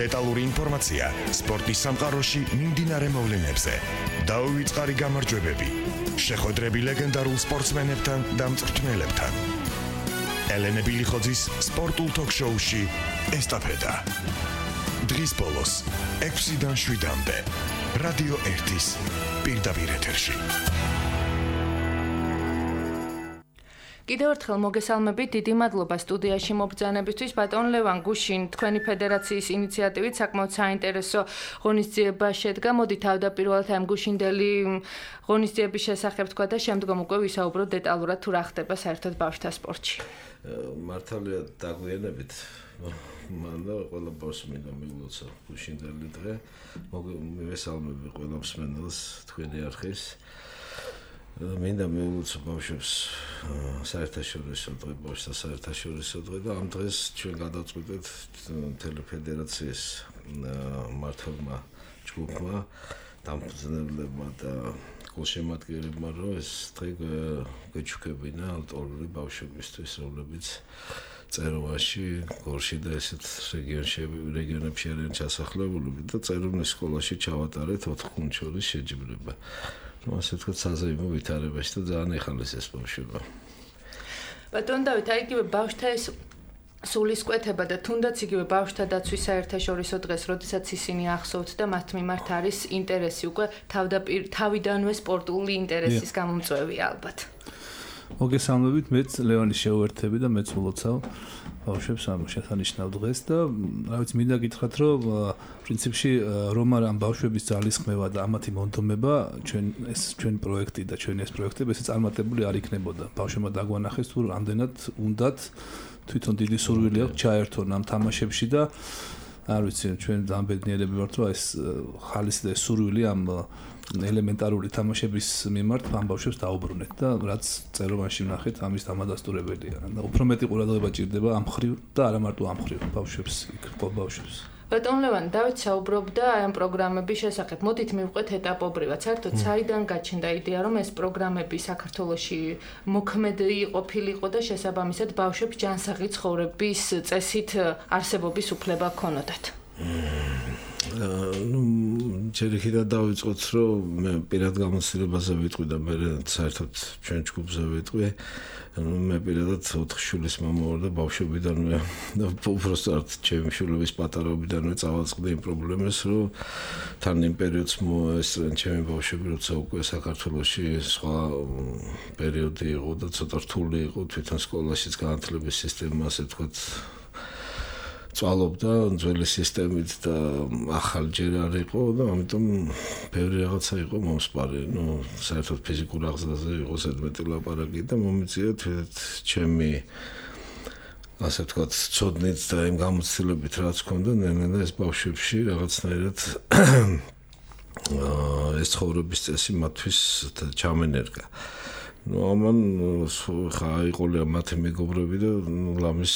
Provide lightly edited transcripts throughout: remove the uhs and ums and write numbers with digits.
დეტალური ინფორმაცია სპორტის სამყაროში მიმდინარე მოვლენებზე. დაუვიწყარი გამარჯვებები. შეხვედრები ლეგენდარულ სპორტსმენებთან და მწვრთნელებთან. ელენე ბილიხოძის სპორტულ ток-შოუში ესტაფეტა. დღის ბოლოს 6-დან 7-მდე რადიო 1-ის პირდაპირ ეთერში. კიდევ ერთხელ მოგესალმებით, დიდი მადლობა სტუდიაში მობრძანებისთვის. ბატონ ლევან გუშინ, თქვენი ფედერაციის ინიციატივით საკმაოდ საინტერესო ღონისძიება შედგა. მოდით თავდაპირველად ამ გუშინდელი ღონისძიების შესახებ თქვა და შემდგომ უკვე ვისაუბროთ დეტალურად თუ რა ხდება საერთოდ ბავშვთა სპორტში. მართალია დაგვიანებით. მანდა ყველა ბავშვს მინდა მიულოცა გუშინდელი დღე. მივესალმები ყველა მსმენელს თქვენი არხის. მინდა მიულოცა ბავშვებს საერთაშორისო დღე, ბავშვთა საერთაშორისო დღე და ამ დღეს ჩვენ გადავწყვიტეთ მთელი ფედერაციის მმართველმა ჯგუფმა, დამფუძნებლებმა და გულშემატკივრებმა, რომ ეს დღე გვეჩუქებინა ალტოლური ბავშვებისთვის, რომლებიც წეროვაში, გორში და ესეთ რეგიონებში არიან ჩასახლებული და წეროვნის სკოლაში ჩავატარეთ 4 ხუთს შორის შეჯიბრება. ასე თქვა საზეიმო ვითარებაში და ძალიან ეხალისეს ბავშვება. ბატონ დავით, აი იგივე ბავშვთა ეს სულისკვეთება და თუნდაც იგივე ბავშვთა დაცვის საერთაშორისო დღეს, როდესაც ისინი ახსოვთ და მათ მიმართ არის ინტერესი უკვე თავიდანვე სპორტული ინტერესის გამომწვევია ალბათ. მოგესალმებით, მეც ლევანის შეუერთები და მეც ვლოცავ ბავშვებს ამ შესანიშნავ დღეს და რა ვიცი, მინდა გითხრათ, რომ პრინციპში რომ არ ამ ბავშვების ძალისხმევა და ამათი მონდომება ჩვენი პროექტი და ჩვენი ეს პროექტები ესე წარმატებული არ იქნებოდა. ბავშვებმა დაგვანახეს თუ რამდენად უნდათ თვითონ დიდი სურვილი აქვს ჩაერთონ ამ თამაშებში და არ ვიცი, ჩვენ ძალიან ბედნიერები ვართ, რომ ეს ხალისი და ეს სურვილი ამ ელემენტარული თამაშების მიმართ ამ ბავშვებს დაუბრუნეთ და რაც წეროვანში ვნახეთ, ამის დამადასტურებელია. და უფრო მეტი ყურადღება ჭირდება ამ მხრივ და არა მარტო ამ მხრივ ბავშვებს, იქ ბავშვებს. ბატონ ლევან, დავით საუბრობდა აი ამ პროგრამების შესახებ. მოდით მივყვეთ ეტაპობრივად. საერთოდ საიდან გაჩნდა იდეა, რომ ეს პროგრამები საქართველოში მოქმედი ყოფილიყო და შესაბამისად ბავშვებს ჯანსაღი ცხოვრების წესით არსებობის უფლება ჰქონოდათ? ჯერ იქიდან დავიწყოთ, რომ მე პირად გამოცდილებაზე ვიტყვი და მე საერთოდ ჩვენ ჯგუფზე ვიტყვი. მე პირადად 4 შვილის მამა ვარ და ბავშვობიდანვე და უბრალოდ ჩემი შვილების პატარაობიდანვე წავაწყდი იმ პრობლემას, რომ თან იმ პერიოდს მოესწრენ ჩემი ბავშვები, როცა უკვე საქართველოში სხვა პერიოდი იყო და ცოტა რთული იყო თვითონ სკოლაშიც განათლების სისტემა, ასე ვთქვათ, წვალობდა ძველი სისტემით და ახალ ჯერ არ იყო და ამიტომ ბევრი რაღაცა იყო მომსპარი. საერთოდ ფიზიკურ აღზრდაზე იყო ზედმეტი ლაპარაკი და მომიწია ჩემი ასე ვთქვათ, ცოდნით და იმ გამოცდილებით რაც ჰქონდა, ნენა ეს ბავშვებში რაღაცნაირად ეს ცხოვრების წესი მათთვის ჩამენერგა. ამან ხა იყოლია მათი მეგობრები და ლამის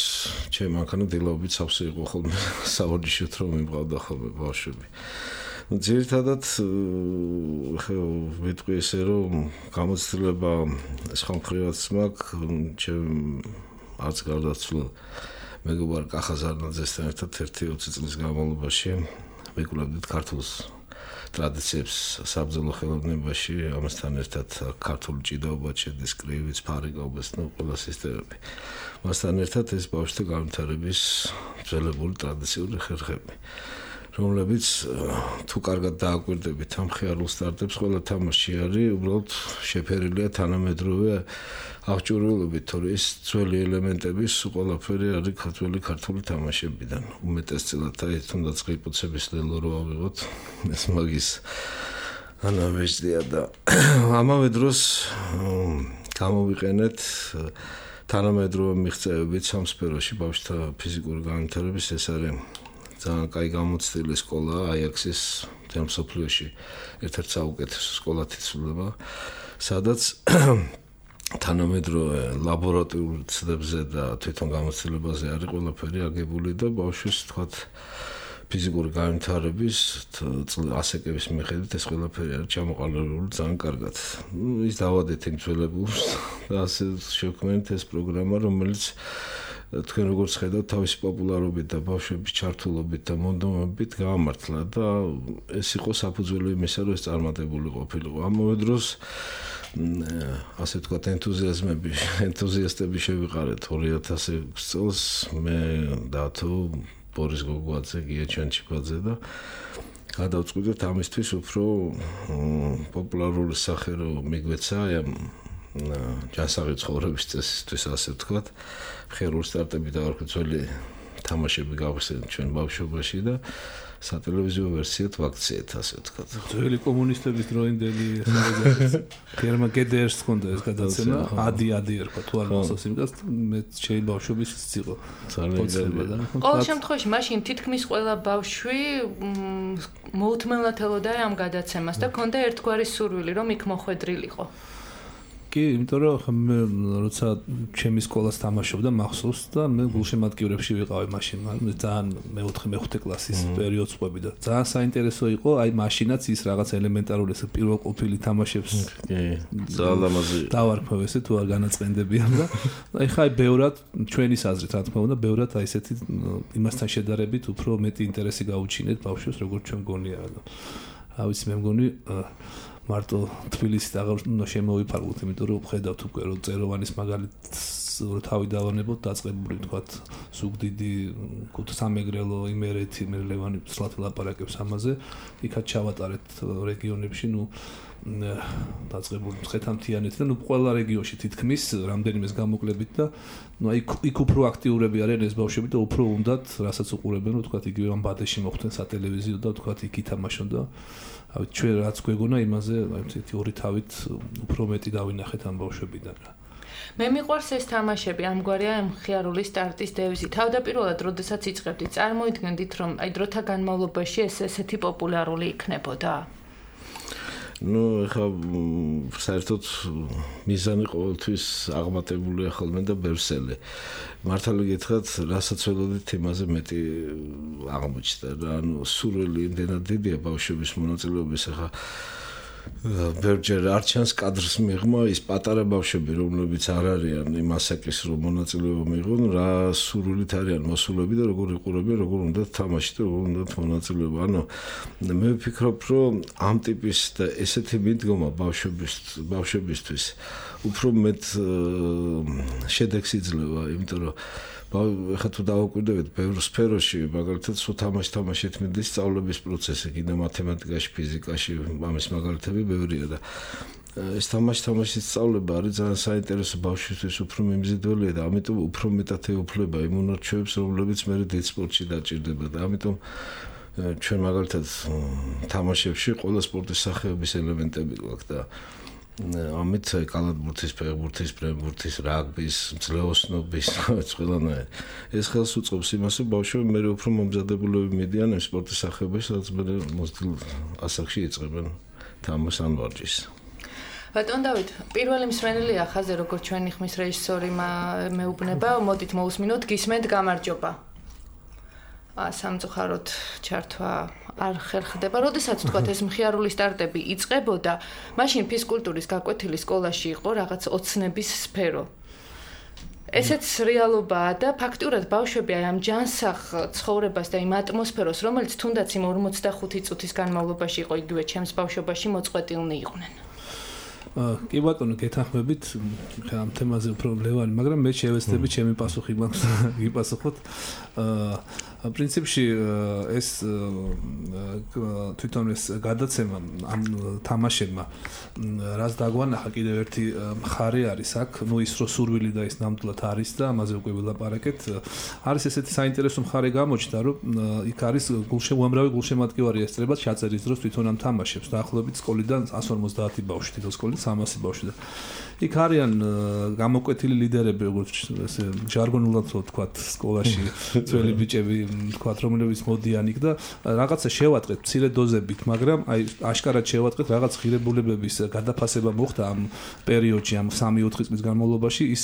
ჩემ მანქანა დილაობით სავსე იყო ხოლმე საორჯიშოთ რომ იმყავდა ხოლმე ბავშვები. ძირითადად ვიტყვი ესე რომ გამოცდილება სხვა მხრივაც მაქვს ჩემ არც გარდაცვლილ მეგობარ კახაზარნაძესთან ერთად 1-20 წლის განმავლობაში ვიკვლევდით ქართულს ტრადიციებს საბრძოლო ხელოვნებაში, ამასთან ერთად ქართული ჭიდაობა, ჩედის კრივიც, ფარიკაობას, ყველა სისტემები. ამასთან ერთად ეს ბავშვთა განვითარების ძველებული ტრადიციული ხერხები, რომლებიც თუ კარგად დააკვირდებით ამ ხიარულ სტარტებს, ყველა თამაში არის უბრალოდ შეფერილია თანამედროვე აღჭურვილობით, თორე ეს ძველი ელემენტების ყველაფერი არის ქართული თამაშებიდან. უმეტესწილად აი თუნდაც ყიფუცების ლელო რო ავიღოთ, ეს მაგის ანავეჯდია და ამავე დროს გამოვიყენეთ თანამედროვე მიღწევებით სამ სფეროში ბავშვთა ფიზიკური განვითარების. ეს არის ძალიან კაი გამოცდილი სკოლა აიაქსის მთელ მსოფლიოში ერთ-ერთი საუკეთესო სკოლად ითვლება, სადაც თანამედროვე ლაბორატორიულ ცდებზე და თვითონ გამოცდილებაზე არის ყველაფერი აგებული და ბავშვის თქვათ ფიზიკური განვითარების ასაკების მიხედვით ეს ყველაფერი არის ჩამოყალიბებული ძალიან კარგად. ის დავადეთ იმ ძველებულს და ასე შექმნით ეს პროგრამა, რომელიც თქვენ როგორც ხედავთ თავისი პოპულარობით და ბავშვების ჩართულობით და მონდომებით გაამართლა და ეს იყო საფუძველი იმისა, რომ ეს წარმატებული ყოფილიყო. ამავე დროს ასე ვთქვათ ენთუზიასტები შევიყარეთ 2006 წელს მე დათო ბორის გოგუაძე გია ჩანჩიბაძე და გადავწყვიტეთ ამისთვის უფრო პოპულარული სახე რომ მიგვეცა ამ ჯანსაღი ცხოვრების წესისთვის ასე ვთქვათ ხერული სტარტები და არქიტექტურული თამაშები გავხსენეთ ჩვენ ბავშვობაში და სატელევიზიო ვერსიად ვაქციეთ ასე ვთქვათ. ძველი კომუნისტების დროინდელი გერმან გედერს ჰქონდა ეს გადაცემა ადი ერქვა თუ არ მახსოვს იმას მე ჩემი ბავშვობის იყო ძალიან ყოველ შემთხვევაში მაშინ თითქმის ყველა ბავშვი მოუთმენლად ელოდა ამ გადაცემას და ჰქონდა ერთგვარი სურვილი რომ იქ მოხვედრილიყო. კი, იმიტომ რომ მე როცა ჩემი სკოლას თამაშობდა მახსოვს და მე გულშემატკივრებში ვიყავი მაშინ, ძალიან მე-4 კლასის პერიოდს ყვები და ძალიან საინტერესო იყო, აი მაშინაც ის რაღაც ელემენტარული ეს პირველ ყოფილი თამაშებს ძალიან ლამაზი დავარქმევ ესე თუ არ განაწყენდებიან და აი ხაი ბევრად ჩვენი აზრით რა თქმა უნდა, ბევრად აი ესეთი იმასთან შედარებით უფრო მეტი ინტერესი გაუჩინეთ ბავშვებს როგორც ჩვენ მგონია და რა ვიცი მე მგონი მარტო თბილისით აღარ უნდა შემოვიფარგლოთ, იმიტომ რომ ხედავთ უკვე რომ წეროვანის მაგალითს თავი დავანებოთ დაწყებული თქვათ ზუგდიდი, სამეგრელო, იმერეთი, მერლევანი სლათ ლაპარაკებს ამაზე, იქაც ჩავატარეთ რეგიონებში, დაწყებული მცხეთამთიანეთი და ყველა რეგიონში თითქმის რამდენიმეს გამოკლებით და იქ უფრო აქტიურები არიან ეს ბავშვები და უფრო უნდათ რასაც უყურებენ, რომ თქვათ იგივე ამ ბადეში მოხვდნენ სატელევიზიო და თქვათ იქ ითამაშონ და ჩვენ რაც გვეგონა იმაზე აი ორი თავით უფრო მეტი დავინახეთ ამ ბავშვებიდან რა. მე მიყვარს ეს თამაშები, ამგვარია მხიარული სტარტის დევიზი. თავდაპირველად, როდესაც იწყებდით, წარმოიდგენდით, რომ აი დროთა განმავლობაში ეს ესეთი პოპულარული იქნებოდა? ეხლა საერთოდ მიზანი ყოველთვის აღმატებულია ხოლმე და ბევრსელი. მართალი გითხრათ, რასაც ველოდით იმაზე მეტი აღმოჩნდა რა, სურვილი იმდენად დიდია ბავშვების მონაწილეობის ახლა ბევრჯერ არ ჩანს კადრს მიღმა ის პატარა ბავშვები რომლებიც არ არიან იმ ასაკის რომ მონაწილეობა მიიღონ რა სურვილით არიან მოსულები და როგორ იყურებიან როგორ უნდა თამაში და როგორ უნდა მონაწილეობა ანუ მე ვფიქრობ რომ ამ ტიპის და ესეთი მიდგომა ბავშვებისთვის უფრო მეტ შედეგს იძლევა იმიტომ რომ ეხლა თუ დავაკვირდებით ბევრ სფეროში, მაგალითად, სულ თამაშით მიდის სწავლების პროცესი, კიდე მათემატიკაში, ფიზიკაში, ამის მაგალითები ბევრია და ეს თამაშის სწავლება არის ძალიან საინტერესო ბავშვისთვის უფრო მიმზიდველია და ამიტომ უფრო მეტად ეუფლება იმ უნარჩვევებს, რომლებიც მე დიდ სპორტში დაჭირდება და ამიტომ ჩვენ მაგალითად თამაშებში ყველა სპორტის სახეობის ელემენტები გვაქვს და ამით კალათბურთის, ფეხბურთის, ბრემბურთის, რაგბის, მძლეოსნობის, ყველანაირ. ეს ხელს უწყობს იმას, რომ ბავშვები მე უფრო მომზადებულები მიდიან ამ სპორტის სახეობაში, სადაც მე მოსდილ ასაკში იწყებენ თამაშს ან ვარჯიშს. ბატონ დავით, პირველი მსმენელია ხაზე, როგორც ჩვენი ხმის რეჟისორი მეუბნება, მოდით მოусმინოთ, გისმენთ, გამარჯობა. სამწუხაროდ ჩართვა არ ხერხდება. როდესაც თქვათ ეს მხიარული სტარტები იწყებოდა, მაშინ ფიზკულტურის გაკვეთილი სკოლაში იყო რაღაც ოცნების სფერო. ესეც რეალობაა და ფაქტურად ბავშვები ამ ჯანსაღ ცხოვრებას და იმ ატმოსფეროს, რომელიც თუნდაც იმ 45 წუთის განმავლობაში იყო იგივე ჩემს ბავშვობაში მოწყვეტილნი იყვნენ. კი ბატონო, გეთანხმებით ამ თემაზე უფრო ლევანი, მაგრამ მე შევეცდები ჩემი პასუხი მაქვს გიპასუხოთ. პრინციპში ეს თვითონ ეს გადაცემა ამ თამაშებმა რაც დაგვანახა კიდევ ერთი მხარე არის აქ, ის რო სურვილი და ის ნამდვილად არის და ამაზე უკვე ვილაპარაკეთ. არის ესეთი საინტერესო მხარე გამოჩნდა, რომ იქ არის უამრავი გულშემატკივარი ესწრება ჩაწერის დროს თვითონ ამ თამაშებს. დაახლოებით სკოლიდან 150 ბავშვი, თითო სკოლიდან 300 ბავშვი და იქ არიან გამოკვეთილი ლიდერები, როგორც ესე ჟარგონულად ვთქვათ, სკოლაში ძველი ბიჭები ვთქვათ, რომლებიც მოდიან იქ და რაღაცა შევატყეთ მცირე დოზებით, მაგრამ აი აშკარად შევატყეთ რაღაც ღირებულებების გადაფასება მოხდა ამ პერიოდში, ამ 3-4 წლის განმავლობაში ის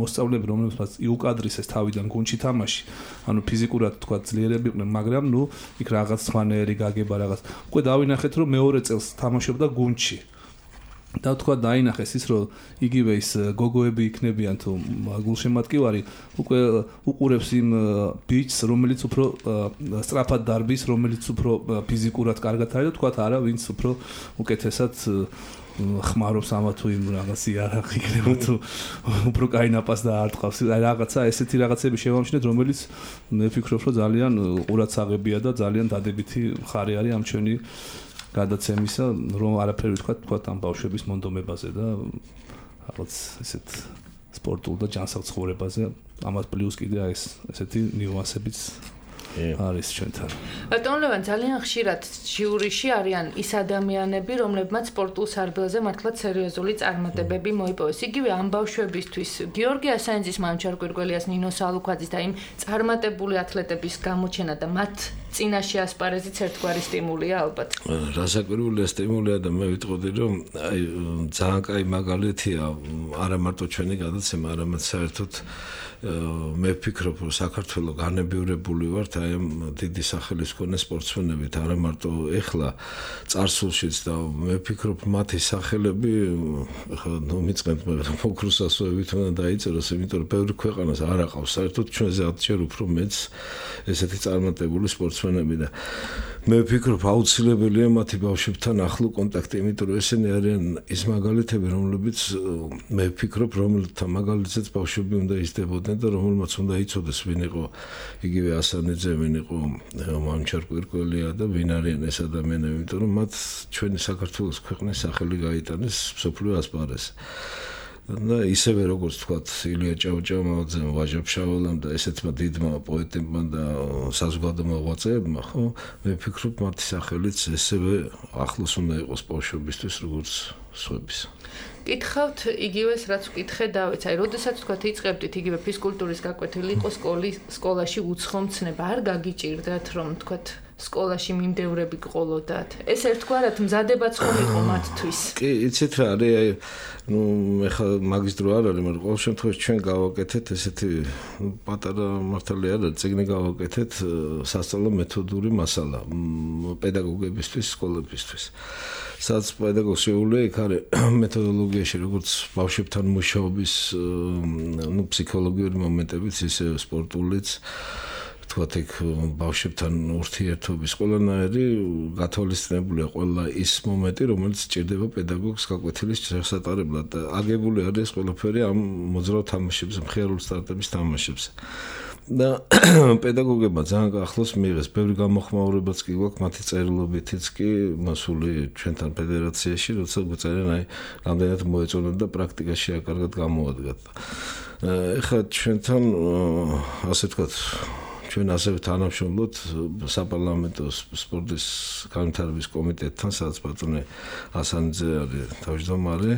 მოსწავლეები, რომლებსაც იუკადრისეს თავიდან გუნდში თამაში, ანუ ფიზიკურად ვთქვათ ძლიერები იყვნენ, მაგრამ იქ რაღაც სხვანაირი გაგება რაღაც. უკვე დავინახეთ, რომ მეორე წელს თამაშობდა გუნდში. და თქვა დაინახეს ის რომ იგივე ის გოგოები იქნებიან თუ გულშემატკივარი უკვე უყურებს იმ ბიჭს რომელიც უფრო სწრაფად დარბის რომელიც უფრო ფიზიკურად კარგად არის და თქვა არა ვინც უფრო უკეთესად ხმარობს ამა თუ იმ რაღაც იარაღი იქნება თუ უფრო კაი ნაპას დაარტყავს აი რაღაცა ესეთი რაღაცები შევამჩნიეთ რომელიც მე ვფიქრობ რომ ძალიან ყურადსაღებია და ძალიან დადებითი მხარე არის ამ ჩვენი გადაცემისა რომ არაფერი თქვა ამ ბავშვების მონდომებაზე და რაღაც ესეთ სპორტულ და ჯანსაღ ცხოვრებაზე ამას პლუს კიდე აი ესეთი ნიუანსებიც არის ჩვენთან. ბატონ ლევან ძალიან ხშირად ჟიურიში არიან ის ადამიანები, რომლებმაც სპორტულ სარბელზე მართლაც სერიოზული წარმატებები მოიპოვეს. იგივე ამ ბავშვებისთვის გიორგი ასანიძის, მანჩარ კვირკველიას, ნინო სალუქვაძის და იმ წარმატებული ათლეტების გამოჩენა და მათ წინაშე ასპარეზიც ერთგვარი სტიმულია ალბათ. რასაკვირველია სტიმულია და მე ვიტყოდი რომ აი ძალიან კაი მაგალითია არა მარტო ჩვენი გადაცემა, არამედ საერთოდ მე ვფიქრობ რომ საქართველოს განებივრებული ვართ აი ამ დიდი სახელის მქონე სპორტსმენებით არა მარტო ეხლა წარსულშიც და მე ვფიქრობ მათი სახელები ხა ნუ მიწყენთ მაგრამ ფოკუსასოებით უნდა დაიწეროს იმიტომ რომ ბევრი ქვეყანას არ აყავს საერთოდ ჩვენზე 10 ჯერ უფრო მეც ესეთი წარმატებული სპორტსმენები და მე ვფიქრობ აუცილებელია მათი ბავშვებთან ახლო კონტაქტი იმიტომ რომ ესენი არიან ის მაგალითები რომლებიც მე ვფიქრობ რომელთა მაგალითზეც ბავშვები უნდა ისდებოდნენ და რომელმაც უნდა იცოდეს ვინ იყო იგივე ასანიძე ვინ იყო მანჩარ კვირკველია და ვინ არიან ეს ადამიანები იმიტომ რომ მათ ჩვენი საქართველოს ქვეყნის სახელი გაიტანეს მსოფლიო ასპარეზზე და ისევე როგორც თქვათ ილია ჭავჭავაძემ ვაჟა-ფშაველამ და ესეთმა დიდმა პოეტებმა და საზოგადო მოღვაწეებმა ხო მე ვფიქრობ მათი სახელიც ესევე ახლოს უნდა იყოს ბავშვებისთვის როგორც სხვების კითხავთ იგივეს რაც ვკითხე დავით აი როდესაც თქვათ იწყებდით იგივე ფიზკულტურის გაკვეთილი იყო სკოლაში უცხომცნება არ გაგიჭირდათ რომ თქვათ სკოლაში მიმდევრები გყოლოდათ ეს ერთგვარად მზადებაც ხომ იყო მათთვის კი იცით რა არის აი ნუ ეხლა მაგის დრო არ არის მაგრამ ყოველ შემთხვევაში ჩვენ გავაკეთეთ ესეთი პატარა მართალი არა წიგნი გავაკეთეთ სასწავლო მეთოდური მასალა პედაგოგებისთვის სკოლებისთვის სადაც პედაგოგს შეუძლია იქ არის მეთოდოლოგიაში როგორც ბავშვებთან მუშაობის ნუ ფსიქოლოგიური მომენტებიც ისე სპორტულიც თქვათ იქ ბავშვებთან ურთიერთობის ყველანაირი გათვალისწინებულია ყველა ის მომენტი რომელიც სჭირდება პედაგოგს გაკვეთილის შესატარებლად და აგებული არის ყველაფერი ამ მოძრავ თამაშებზე მხიარული სტარტების თამაშებზე და პედაგოგებმა ძალიან ახლოს მიიღეს ბევრი გამოხმაურებაც კი გვაქვს მათი წერილობითიც კი მასული ჩვენთან ფედერაციაში როცა გვწერენ აი რამდენად მოეწონათ და პრაქტიკაში კარგად გამოადგათ ეხლა ჩვენთან ასე ვთქვათ ჩვენ ასევე თანამშრომლობთ საპარლამენტო სპორტის განვითარების კომიტეტთან, სადაც ბატონი ასანიძე არის თავმჯდომარე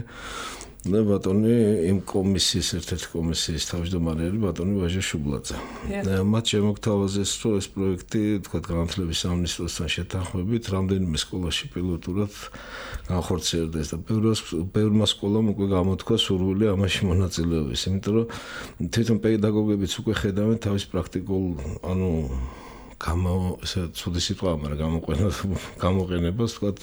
და ბატონი იმ კომისიის ერთ-ერთი კომისიის თავმჯდომარე არის ბატონი ვაჟა შუბლაძე. მათ შემოგთავაზეს რომ ეს პროექტი, თქვათ, განათლების სამინისტროსთან შეთანხმებით, რამდენიმე სკოლაში პილოტურად განხორციელდეს და ბევრმა სკოლამ უკვე გამოთქვა სურვილი ამაში მონაწილეობის, იმიტომ რომ თვითონ პედაგოგებიც უკვე ხედავენ თავის პრაქტიკულ, ანუ ცუდი სიტყვა, მაგრამ გამოყენებას ვთქვათ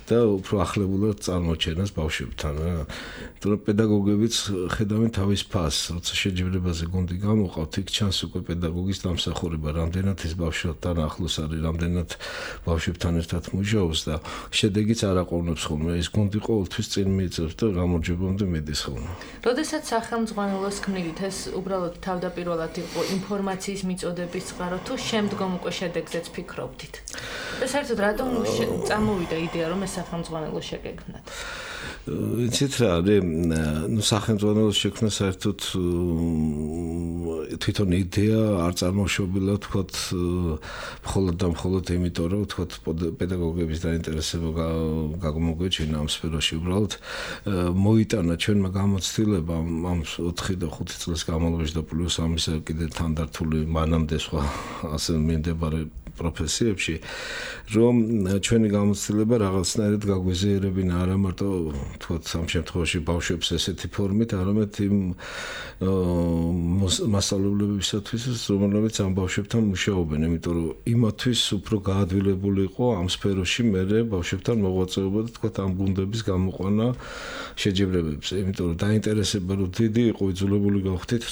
და უფრო ახლებულად წარმოჩენას ბავშვებთან. იმიტომ რომ პედაგოგებიც ხედავენ თავის ფასს, როცა შეჯიბრებაზე გუნდი გამოყავთ, იქ ჩანს უკვე პედაგოგის დამსახურება, რამდენად ის ბავშვებთან ახლოს არის, რამდენად ბავშვებთან ერთად მუშაობს და შედეგიც არ აყოლებს ხოლმე. ეს გუნდი ყოველთვის წინ მიიწევს და გამარჯვებამდე მიდის ხოლმე. როდესაც სახელმძღვანელოს ქმნით, ეს უბრალოდ თავდაპირველად იყო ინფორმაციის მიწოდების წყარო თუ შემდგომ უკვე შედეგზეც ფიქრობდით. და საერთოდ რატომ წამოვიდა იდეა რომ ეს სახელმძღვანელო შეგეგმნათ? იცით რა არის, ნუ სახელმძღვანელოს შექმნა საერთოდ თვითონ იდეა არ წარმოშობილა, თქვათ, მხოლოდ და მხოლოდ იმიტომ რომ თქვათ პედაგოგების დაინტერესება გამოგვეჩინა ამ სფეროში უბრალოდ მოიტანა ჩვენმა გამოცდილებამ ამ 4 და 5 წლის განმავლობაში და პლუს ამისა კიდე თანდართული მანამდე სხვა ასე მიმდებარე პროფესიებში, რომ ჩვენი გამოცდილება რაღაცნაირად გაგვეზიერებინა არა მარტო თქვათ ამ შემთხვევაში ბავშვებს ესეთი ფორმით, არამედ იმ მასწავლებლებისათვის, რომლებიც ამ ბავშვებთან მუშაობენ, იმიტომ რომ იმათთვის უფრო გაადვილებული იყო ამ სფეროში მერე ბავშვებთან მოღვაწეობა და თქვათ ამ გუნდების გამოყვანა შეჯიბრებებზე, იმიტომ რომ დაინტერესება რო დიდი იყო, იძულებული გავხდით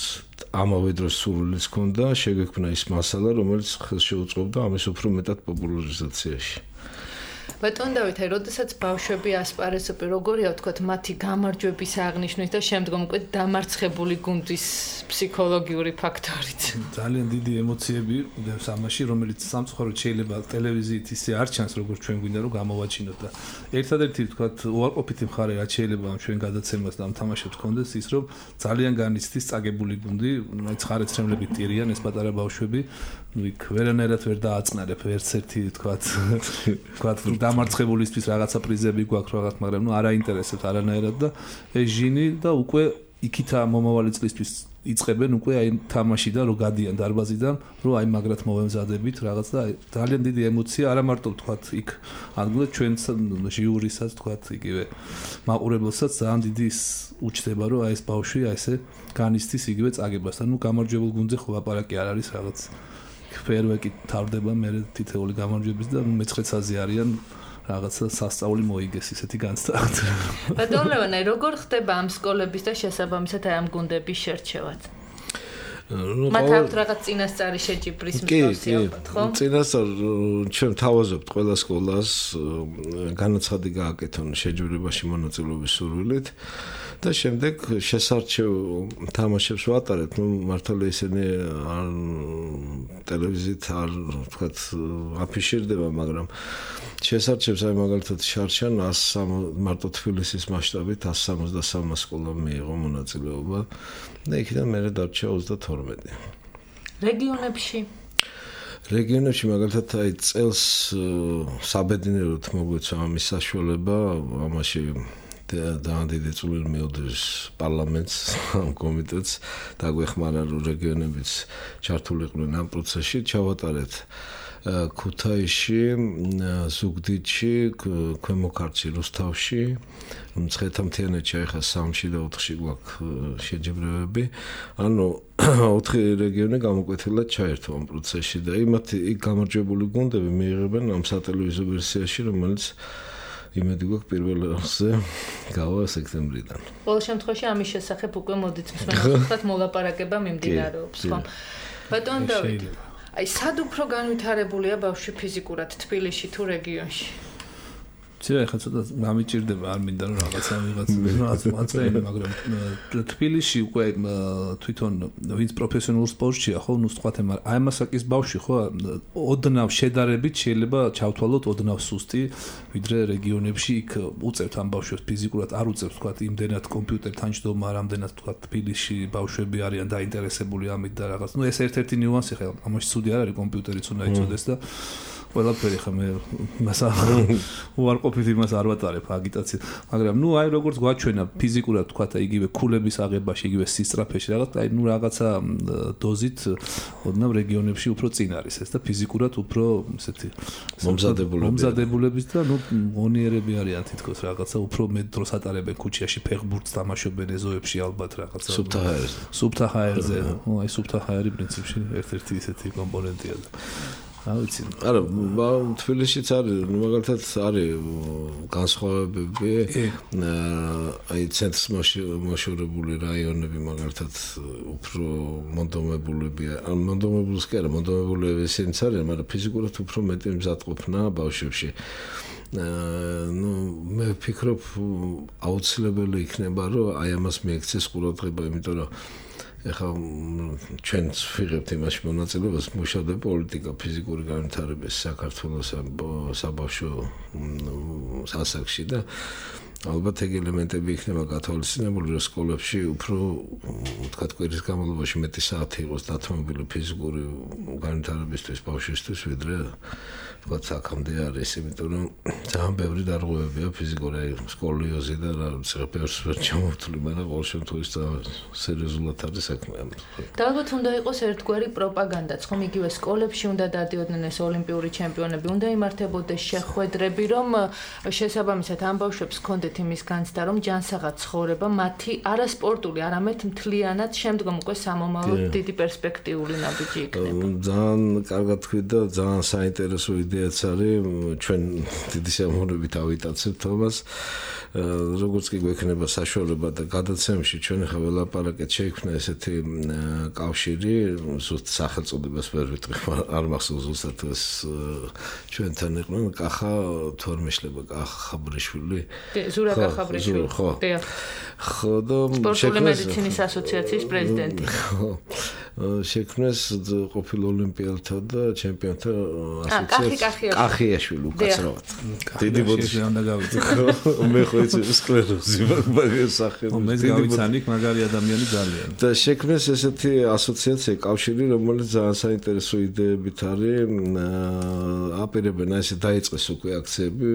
ამავე დროს სურვილიც ჰქონდა შეგექმნა ის მასალა, რომელიც ხელს შეუწყობდა ამის უფრო მეტად პოპულარიზაციაში. ბატონ დავით, როდესაც ბავშვები ასპარეზობენ, როგორია ვთქვათ, მათი გამარჯვების აღნიშვნის და შემდგომ უკვე დამარცხებული გუნდის ფსიქოლოგიური ფაქტორით. ძალიან დიდი ემოციები მდევს ამაში, რომელიც სამწუხაროდ შეიძლება ტელევიზიით ისე არ ჩანს, როგორც ჩვენ გვინდა რომ გამოვაჩინოთ და ერთადერთი ვთქვათ, უარყოფითი მხარე რაც შეიძლება ამ ჩვენ გადაცემას და ამ თამაშებს ჰქონდეს ის, რომ ძალიან განიცდის წაგებული გუნდი, მაინც ხარეცრემლებით ტირიან ეს პატარა ბავშვები, იქ ვერანაირად ვერ დააწყნარებ ერთ ერთი ვთქვათ დამარცხებულისთვის რაღაცა პრიზები გვაქვს რაღაც, მაგრამ ნუ არ აინტერესებს არანაირად და ეს ჟინი და უკვე იქითა მომავალი წლისთვის იწყებენ უკვე აი თამაში და რო გადიან დარბაზიდან, რო აი მაგრად მოვემზადებით რაღაც და ძალიან დიდი ემოცია, არა მარტო ვთქვათ იქ ადგილად ჩვენს ჟიურისაც ვთქვათ იგივე მაყურებელსაც ძალიან დიდი უჩნდება, რომ აი ეს ბავშვი აი ესე განიცდის იგივე წაგებას და ნუ გამარჯვებულ გუნდზე ხო ლაპარაკი არ არის რაღაც ფერვეკი თავდება მე თითეული გამარჯვების და ნუ მე-9-აზე არიან რაღაცა სასწაული მოიგეს ისეთი განცდათ. ბატონ ლევანე, როგორ ხდება ამ სკოლების და შესაბამისად ამ გუნდების შერჩევაც? მათ აქვს რაღაც წინასწარი შეჯიბრის მსგავსი ალბათ, ხო? წინასწარ ჩვენ თავაზობთ ყველა სკოლას განაცხადი გააკეთონ შეჯიბრებაში მონაწილეობის სურვილით და შემდეგ შესარჩევ თამაშებს ვატარებთ, ნუ მართლა ისინი ტელევიზიით არ ვთქვათ აფიშირდება, მაგრამ შესარჩევს აი მაგალითად შარშან 100 მარტო თბილისის მასშტაბით 163 სკოლამ მიიღო მონაწილეობა და იქიდან მერე დარჩა 32. რეგიონებში მაგალითად აი წელს საბედნიეროდ მოგვეცა ამის საშუალება, ამაში ძალიან დიდი წვლილი მიუძღვის პარლამენტს, ამ კომიტეტს, დაგვეხმარა რომ რეგიონებიც ჩართულიყვნენ ამ პროცესში, ჩავატარეთ ქუთაისში, ზუგდიდში, ქვემო ქართლში, რუსთავში, მცხეთა-მთიანეთში ახლა 3-ში და 4-ში გვაქვს შეჯიბრებები. ანუ 4 რეგიონი გამოკვეთილად ჩაერთო ამ პროცესში და იქ გამარჯვებული გუნდები მიიღებენ ამ სატელევიზიო ვერსიაში, რომელიც იმედი გვაქვს პირველ რიგზე გავა სექტემბრიდან. ყოველ შემთხვევაში ამის შესახებ უკვე მოდით მსმენელთათვის მოლაპარაკება მიმდინარეობს, ხო? ბატონ დავით, აი სად უფრო განვითარებულია ბავშვი ფიზიკურად თბილისში თუ რეგიონში? ცირა ხა ცოტა გამიჭირდება, არ მინდა რომ რაღაცა ვიღაც მაწეინე, მაგრამ თბილისში უკვე თვითონ ვინც პროფესიონალურ სპორტშია, ხო, ნუ ვთქვათ, მაგრამ აი მასაკის ბავშვი, ხო, ოდნავ შედარებით შეიძლება ჩავთვალოთ ოდნავ სუსტი, ვიდრე რეგიონებში იქ უწევთ ამ ბავშვებს ფიზიკურად, არ უწევთ, ვთქვათ, იმდენად კომპიუტერთან ჯდომა, რამდენად ვთქვათ თბილისში ბავშვები არიან დაინტერესებული ამით და რაღაც. ნუ ეს ერთ-ერთი ნიუანსი ხა, ამაში ცუდი არ არის, კომპიუტერიც უნდა იცოდეს და ყველაფერი ხა მე მასა უარყოფით იმას არ ვატარებ აგიტაციას, მაგრამ ნუ აი როგორც გვაჩვენა ფიზიკურად თქვა იგივე ქულების აღებაში, იგივე სისწრაფეში რაღაც, აი ნუ რაღაცა დოზით ოდნავ რეგიონებში უფრო წინ არის ეს და ფიზიკურად უფრო ესეთი მომზადებულების და ნუ მონიერები არიან თითქოს რაღაცა უფრო მეტ დროს ატარებენ ქუჩაში, ფეხბურთს თამაშობენ ეზოებში ალბათ რაღაცა სუფთა ჰაერზე, აი სუფთა ჰაერი პრინციპში ერთ-ერთი ისეთი კომპონენტია და ავიცი. არა, თბილისშიც არის, მაგალითად არის განსხვავებები, აი ცენტრს მოშორებული რაიონები მაგალითად უფრო მონდომებულებია. მონდომებულს კი არა, მონდომებულები ისინიც არიან, მაგრამ ფიზიკურად უფრო მეტი მზადყოფნა ბავშვებში. ნუ მე ვფიქრობ, აუცილებელი იქნება, რომ აი ამას მიექცეს ყურადღება, იმიტომ რომ ეხლა ჩვენც ვიღებთ იმაში მონაწილეობას, მუშავდება პოლიტიკა, ფიზიკური განვითარების საქართველოს საბავშვო სასახლეში და ალბათ ეგ ელემენტები იქნება გათვალისწინებული, რომ სკოლებში უფრო თქვათ კვირის განმავლობაში მეტი საათი იყოს დათმობილი ფიზიკური განვითარებისთვის ბავშვისთვის, ვიდრე თქვათ აქამდე არის, იმიტომ რომ ძალიან ბევრი დარღვევებია ფიზიკური სკოლიოზი და რაღაც ბევრს ვერ ჩამოვთვლი, მაგრამ ყოველ შემთხვევაში სერიოზულად არის საქმე. და ალბათ უნდა იყოს ერთგვარი პროპაგანდაც, ხომ იგივე სკოლებში უნდა დადიოდნენ ეს ოლიმპიური ჩემპიონები, უნდა იმართებოდეს შეხვედრები, რომ შესაბამისად ამ ბავშვებს ჰქონდეთ იმის განცდა, რომ ჯანსაღად ცხოვრება მათი არასპორტული, არამედ მთლიანად შემდგომ უკვე სამომავლო დიდი პერსპექტიული ნაბიჯი იქნება. ძალიან კარგად თქვით და ძალიან საინტერესო იდეაც არის, ჩვენ დიდი სიამოვნებით ავიტაცებთ ამას. როგორც კი გვექნება საშუალება და გადაცემაში ჩვენ ახლა ველაპარაკეთ, შეიქმნა ესეთი კავშირი, ზუსტ სახელწოდებას ვერ ვიტყვი, არ მახსოვს ზუსტად ეს ჩვენთან იყვნენ კახა თუ არ მეშლება კახა ხაბრიშვილი. ზურა კახაბრიშვილი. ხო და სპორტული მედიცინის ასოციაციის პრეზიდენტი. შექმნეს ყოფილ ოლიმპიელთა და ჩემპიონთა ასოციაცია კახიაშვილი უკაცრავად. დიდი ბოდიში უნდა გავიწევ. მე ხო იცი სკლეროზი მაგას სახელი. მე გავიცანი მაგარი ადამიანი ძალიან. და შექმნეს ესეთი ასოციაცია კავშირი, რომელიც ძალიან საინტერესო იდეებით არის. აპირებენ ესე დაიწყეს უკვე აქციები,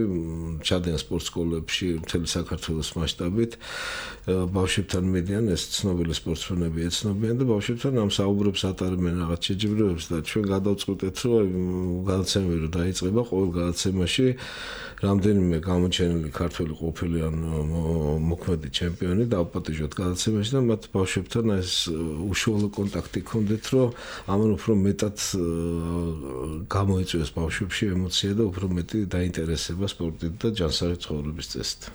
ჩადიან სპორტ სკოლებში მთელი საქართველოს მასშტაბით. ბავშვებთან მიდიან ეს ცნობილი სპორტსმენები ეცნობიან და ბავშვებთან ამ საუბრებს ატარებენ რაღაც შეჯიბრებებს და ჩვენ გადავწყვეტეთ რომ გადაცემები რომ დაიწყება ყოველ გადაცემაში რამდენიმე გამოჩენილი ქართველი ყოფილი ან მოქმედი ჩემპიონი დავაპატიჟოთ გადაცემაში და მათ ბავშვებთან ეს უშუალო კონტაქტი ჰქონდეთ რომ ამან უფრო მეტად გამოიწვიოს ბავშვებში ემოცია და უფრო მეტი დაინტერესება სპორტით და ჯანსაღი ცხოვრების წესით.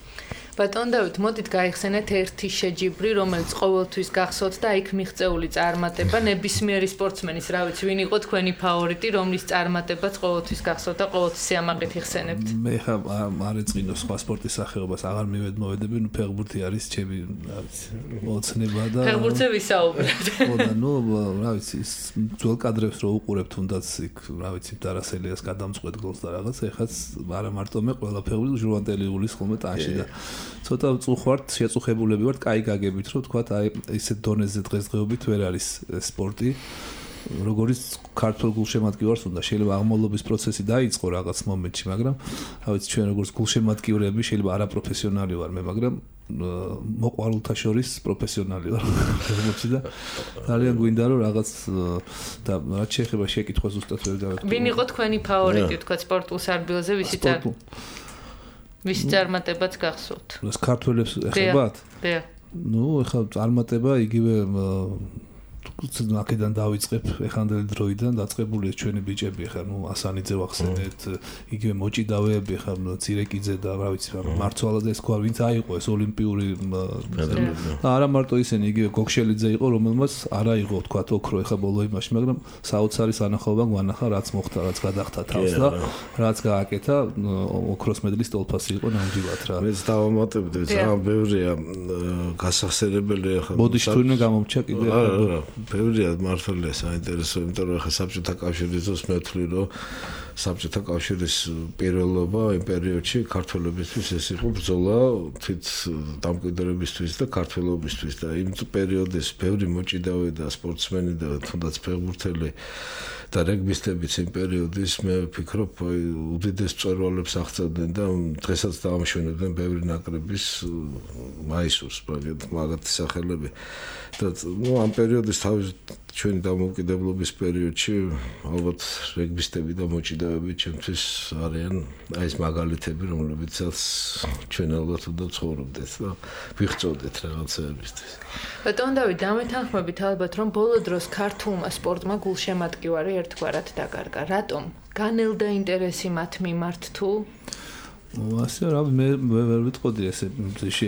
ბატონ დავით, მოდით გაიხსენეთ ერთი შეჯიბრი, რომელიც ყოველთვის გახსოვთ და იქ მიღწეული წარმატება ნებისმიერი სპორტსმენის, რა ვიცი, ვინ იყო თქვენი ფავორიტი, რომლის წარმატებაც ყოველთვის გახსოვთ და ყოველთვის სიამაყით იხსენებთ. მე ხა არ ეწყინო სხვა სპორტის სახეობას, აღარ მოვედები, ნუ ფეხბურთი არის ჩემი, რა ვიცი, ოცნება და ფეხბურთზე ვისაუბრებთ. ხო და ნუ, რა ვიცი, ძველ კადრებს რო უყურებ თუნდაც იქ, რა ვიცი, დარასელიას გადამწყვეტ გოლს და რაღაც, ეხაც არა მარტო მე ყველა ფეხბურთი ჟურვანტელი ულის ხოლმე ტანში და ცოტა წუხვართ, შეწუხებულები ვართ, კაი გაგებით, რომ თქვა აი ისეთ დონეზე დღესდღეობით ვერ არის სპორტი. როგორც ქართულ გულშემატკივარს უნდა შეიძლება აღმავლობის პროცესი დაიწყო რაღაც მომენტში, მაგრამ რა ვიცი, ჩვენ როგორც გულშემატკივრები შეიძლება არაპროფესიონალი ვარ მე, მაგრამ მოყვარულთა შორის პროფესიონალი ვარ და ძალიან გვინდა რომ რაღაც და რაც შეეხება შეკითხვას ზუსტად ვერ დავეთქვი. ვინ იყო თქვენი ფავორიტი, თქვა სპორტულ სარბიელზე, ვისი წარმატებაც გახსოვთ? ეს ქართველებს ეხებათ? დიახ. ნუ ეხლა წარმატება იგივე აქედან დავიწყებ ეხანდელი დროიდან დაწყებული ჩვენი ბიჭები ხა ნუ ასანიძე ვახსენეთ იგივე მოჭიდავეები ხა ცირეკიძე და რა ვიცი მარცვალაძე ეს თქვა ვინც აიყო ეს ოლიმპიური არა მარტო ისინი იგივე გოგშელიძე იყო რომელმაც არ აიღო თქვა ოქრო ეხა ბოლო იმაში მაგრამ საოცარი სანახაობა გვანახა რაც მოხდა რაც გადახთა თავს და რაც გააკეთა ოქროს მედლის ტოლფასი იყო ნამდვილად რა მეც დავამატებდი ძალიან ბევრია გასახსენებელი ხა ბოდიში თურმე გამომჩა კიდე ბევრია მართალია საინტერესო, იმიტომ რომ ახლა საბჭოთა კავშირის დროს მე ვთვლი, რომ საბჭოთა კავშირის პირველობა იმ პერიოდში ქართველებისთვის ეს იყო ბრძოლა თვით დამკვიდრებისთვის და ქართველობისთვის და იმ პერიოდის ბევრი მოჭიდავე და სპორტსმენი და თუნდაც ფეხბურთელი და რეგბისტებიც იმ პერიოდის მე ვფიქრობ უდიდეს მწვერვალებს აღწევდნენ და დღესაც დაამშვენებდნენ ბევრი ნაკრების მაისურს მაგათი სახელები და ნუ ამ პერიოდის თავის ჩვენი დამოუკიდებლობის პერიოდში ალბათ რეგბისტები და მოჭიდავეები ჩემთვის არიან აი ეს მაგალითები რომლებიცაც ჩვენ ალბათ უნდა ცხოვრობდეთ და ვიღწოდეთ რაღაცეებისთვის. ბატონ დავით, დამეთანხმებით ალბათ რომ ბოლო დროს ქართულმა სპორტმა გულშემატკივარი ერთგვარად დაკარგა. რატომ? განელდა ინტერესი მათ მიმართ თუ? ასე რა მე ვერ ვიტყოდი ესე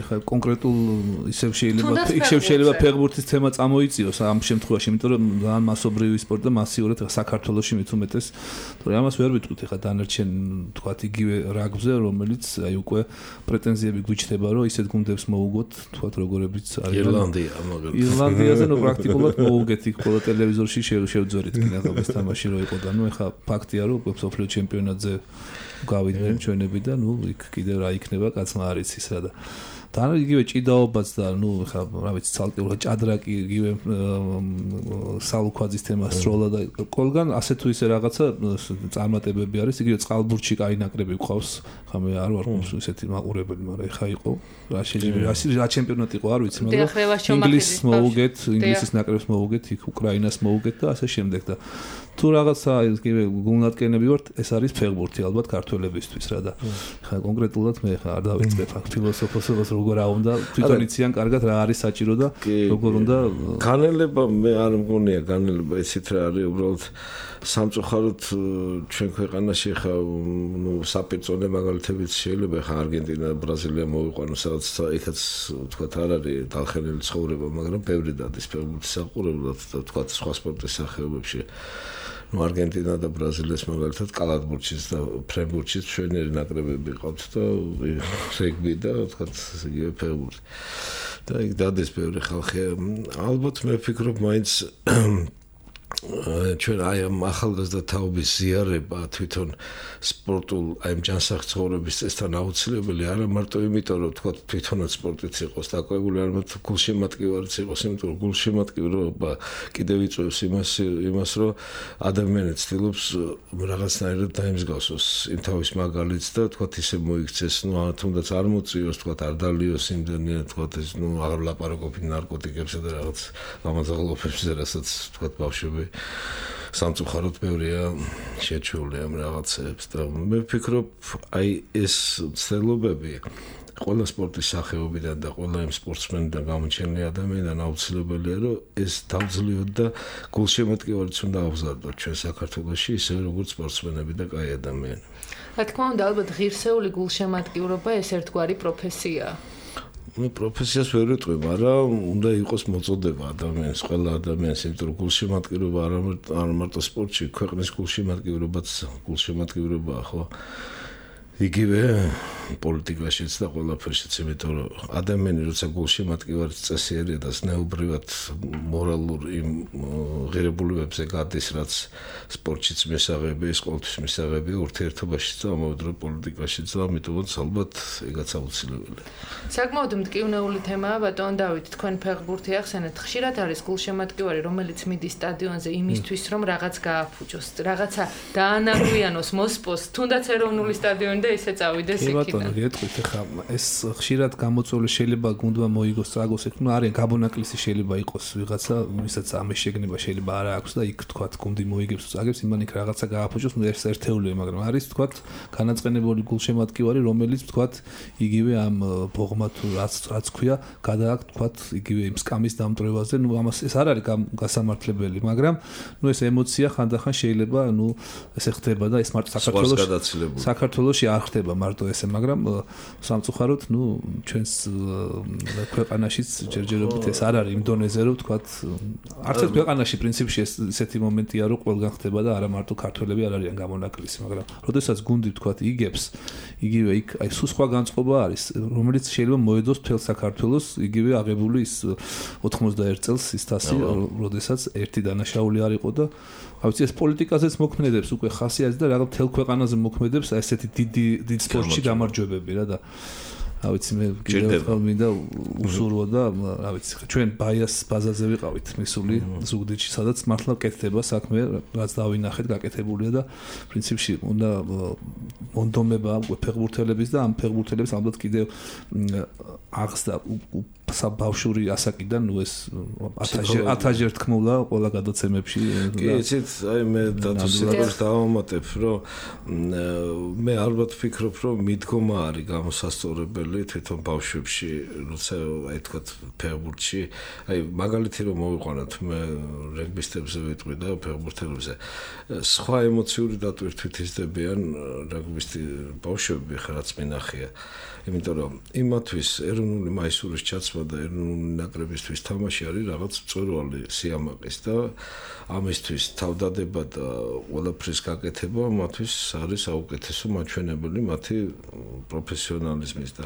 ხა კონკრეტულ ისევ შეიძლება ფეხბურთის თემა წამოიწიოს ამ შემთხვევაში, იმიტომ რომ ძალიან მასობრივი სპორტი და მასიურად საქართველოში მით უმეტეს, თორე ამას ვერ ვიტყვით ხა დანარჩენ თქვა იგივე რაგბზე, რომელიც აი უკვე პრეტენზიები გვიჩნდება, რომ ისეთ გუნდებს მოუგოთ, თქვა როგორებიც არის ირლანდიაზე ნუ პრაქტიკულად მოუგეთ იქ ყველა ტელევიზორში შევძვერით კინაღობის თამაში რო იყო და ნუ ხა ფაქტია რომ სოფლიო ჩემპიონატზე გავიდნენ ჩვენები და იქ კიდევ რა იქნება კაცმა არ იცის რა და თან იგივე ჭიდაობაც და ხა რა ვიცი ცალკეულად ჭადრაკი იგივე სალუქვაძის თემა სროლა და ყველგან ასე თუ ისე რაღაცა წარმატებები არის იგივე წყალბურთში კაი ნაკრები გვყავს ხა მე არ ვარ ისეთი მაყურებელი მაგრამ ეხა იყო რა შეიძლება რა ჩემპიონატი იყო არ ვიცი მაგრამ ინგლისს მოუგეთ ინგლისის ნაკრებს მოუგეთ იქ უკრაინას მოუგეთ და ასე შემდეგ და თუ რაღაცა იგივე გულნატკენები ვართ ეს არის ფეხბურთი ალბათ ქართველებისთვის რა და ხა კონკრეტულად მე ხა არ დავიწყებ აქ ფილოსოფოსობას როგორ აუნდა თვითონ იციან კარგად რა არის საჭირო და როგორ უნდა განელება მე არ მგონია განელება ისეთ რა არის უბრალოდ სამწუხაროდ ჩვენ ქვეყანაში ხა საპირწონე მაგალითებიც შეიძლება ხა არგენტინა ბრაზილია მოვიყვანო სადაც იქაც თქვა არ არის დალხენილი ცხოვრება მაგრამ ბევრი დადის ფეხბურთის საყურებლად და თქვა სხვა სპორტის სახეობებში არგენტინა და ბრაზილიას მაგალითად კალათბურთშიც და ფრენბურთშიც ჩვენერი ნაკრებები ყავთ და რეგბი და თქვა იგივე ფეხბურთი და იქ დადეს ბევრი ხალხი ალბათ მე ვფიქრობ მაინც ჩვენ აი ამ ახალგაზრდა თაობის ზიარება თვითონ სპორტულ აი ამ ჯანსაღ ცხოვრების წესთან აუცილებელი არა მარტო იმიტომ რომ თქვა თვითონაც სპორტიც იყოს დაკვირვებული არ მარტო გულშემატკივარიც იყოს იმიტომ რომ გულშემატკივრობა კიდევ იწვევს იმას რომ ადამიანი ცდილობს რაღაცნაირად დაემსგავსოს იმ თავის მაგალითს და თქვა ისე მოიქცეს თუნდაც არ მოწიოს თქვა არ დალიოს იმდენია თქვა ეს აღარ ლაპარაკობენ ნარკოტიკებზე და რაღაც გამაძაღლობებზე რასაც თქვა ბავშვები სამწუხაროდ ბევრია შეჩეული ამ რაღაცებს და მე ვფიქრობ აი ეს ცდილობები ყველა სპორტის სახეობიდან და ყველა იმ სპორტსმენიდან გამოჩენილი ადამიანიდან აუცილებელია რომ ეს დავძლიოთ და გულშემატკივარიც უნდა აღზარდოთ ჩვენ საქართველოში ისე როგორც სპორტსმენები და კაი ადამიანები. რა თქმა უნდა ალბათ ღირსეული გულშემატკივრობა ეს ერთგვარი პროფესიაა. პროფესიას ვერ ვიტყვი, მაგრამ უნდა იყოს მოწოდება ადამიანს, ყველა ადამიანს, იმიტომ რომ გულშემატკივრობა არ მარტო სპორტში, ქვეყნის გულშემატკივრობაც გულშემატკივრობაა, ხო? იგივე პოლიტიკაშიც და ყველაფერშიც, იმიტომ რომ ადამიანი როცა გულშემატკივარის წესიერია და ზნეობრივად მორალურ იმ ღირებულებებზე გადის, რაც სპორტშიც მისაღები, ეს ყოველთვის მისაღები ურთიერთობაშიც და ამავდროულად პოლიტიკაშიც და ამიტომაც ალბათ ეგაც აუცილებელია. საკმაოდ მტკივნეული თემაა ბატონ დავით, თქვენ ფეხბურთი ახსენეთ, ხშირად არის გულშემატკივარი, რომელიც მიდის სტადიონზე იმისთვის, რომ რაღაც გააფუჭოს, რაღაცა დაანაგვიანოს, მოსპოს, თუნდაც ეროვნული სტადიონი და ისე წავიდეს იქიდან. ბატონო, გეტყვით, ხა ეს ხშირად გამოწვეული შეიძლება გუნდმა მოიგოს, წაგოს, ну არის გაბონაკლისი შეიძლება იყოს ვიღაცა, ვისაც ამის შეგნება შეიძლება არ აქვს და იქ თქვათ გუნდი მოიგებს, წაგებს, იმან იქ რაღაცა გააფუჭოს, ну ეს ერთეულია, მაგრამ არის თქვათ განაწყენებული გულშემატკივარი, რომელიც თქვათ იგივე ამ ბოღმა თუ რაც ქვია, გადააქვთ თქვათ იგივე იმ სკამის დამტვრევაზე, ну ამას ეს არ არის გასამართლებელი, მაგრამ ну ეს ემოცია ხანდახან შეიძლება, ну ესე ხდება და ეს მარტო საქართველოში არ ხდება მარტო ესე, მაგრამ სამწუხაროდ, ну ჩვენს ქვეყანაშიც ჯერჯერობით ეს არ არის იმ დონეზე, რომ თქვათ არც ერთ ქვეყანაში პრინციპში ესეთი მომენტია, რომ ყველგან ხდება და არა მარტო ქართველები არ არიან გამონაკლისი, მაგრამ როდესაც გუნდი თქვათ იგებს, იგივე იქ აი სულ სხვა განწყობა არის, რომელიც შეიძლება მოედოს მთელ საქართველოს, იგივე აღებული ის 91 წელს ის თასი, როდესაც ერთი დანაშაული არ იყო და ავიცი ეს პოლიტიკაზეც მოქმედებს უკვე ხასიათი და რაღაც მთელ ქვეყანაზე მოქმედებს ესეთი დიდ სპორტში გამარჯვებები რა და ავიცი მე კიდევ მინდა უსურვო და ავიცი ჩვენ ბაიას ბაზაზე ვიყავით მისული ზუგდიდში სადაც მართლა კეთდება საქმე რაც დავინახეთ გაკეთებულია და პრინციპში უნდა მონდომება ფეხბურთელების და ამ ფეხბურთელებს ალბათ კიდევ აღსდა საბავშვური ასაკიდან ნუ ეს 1000 თქმულა ყველა გადაცემებში კი იცით აი მე დაწესებას დავამატებ რომ მე ალბათ ვფიქრობ რომ მიდგომა არის გამოსასწორებელი თვითონ ბავშვებში როცა აი თქვა ფეხბურთში აი მაგალითი რომ მოვიყვანოთ მე რეგბისტებზე ვიტყვი და ფეხბურთელებზე სხვა ემოციური დატვირთვით იზრდებიან რეგბისტი ბავშვები ხარაც მინახია იმიტომ რომ იმათვის ეროვნული მაისურის ჩაცმა და ეროვნული ნაკრებისთვის თამაში არის რაღაც მწვერვალი სიამაყის და ამისთვის თავდადება და ყველაფრის გაკეთება მათთვის არის საუკეთესო მაჩვენებელი მათი პროფესიონალიზმის და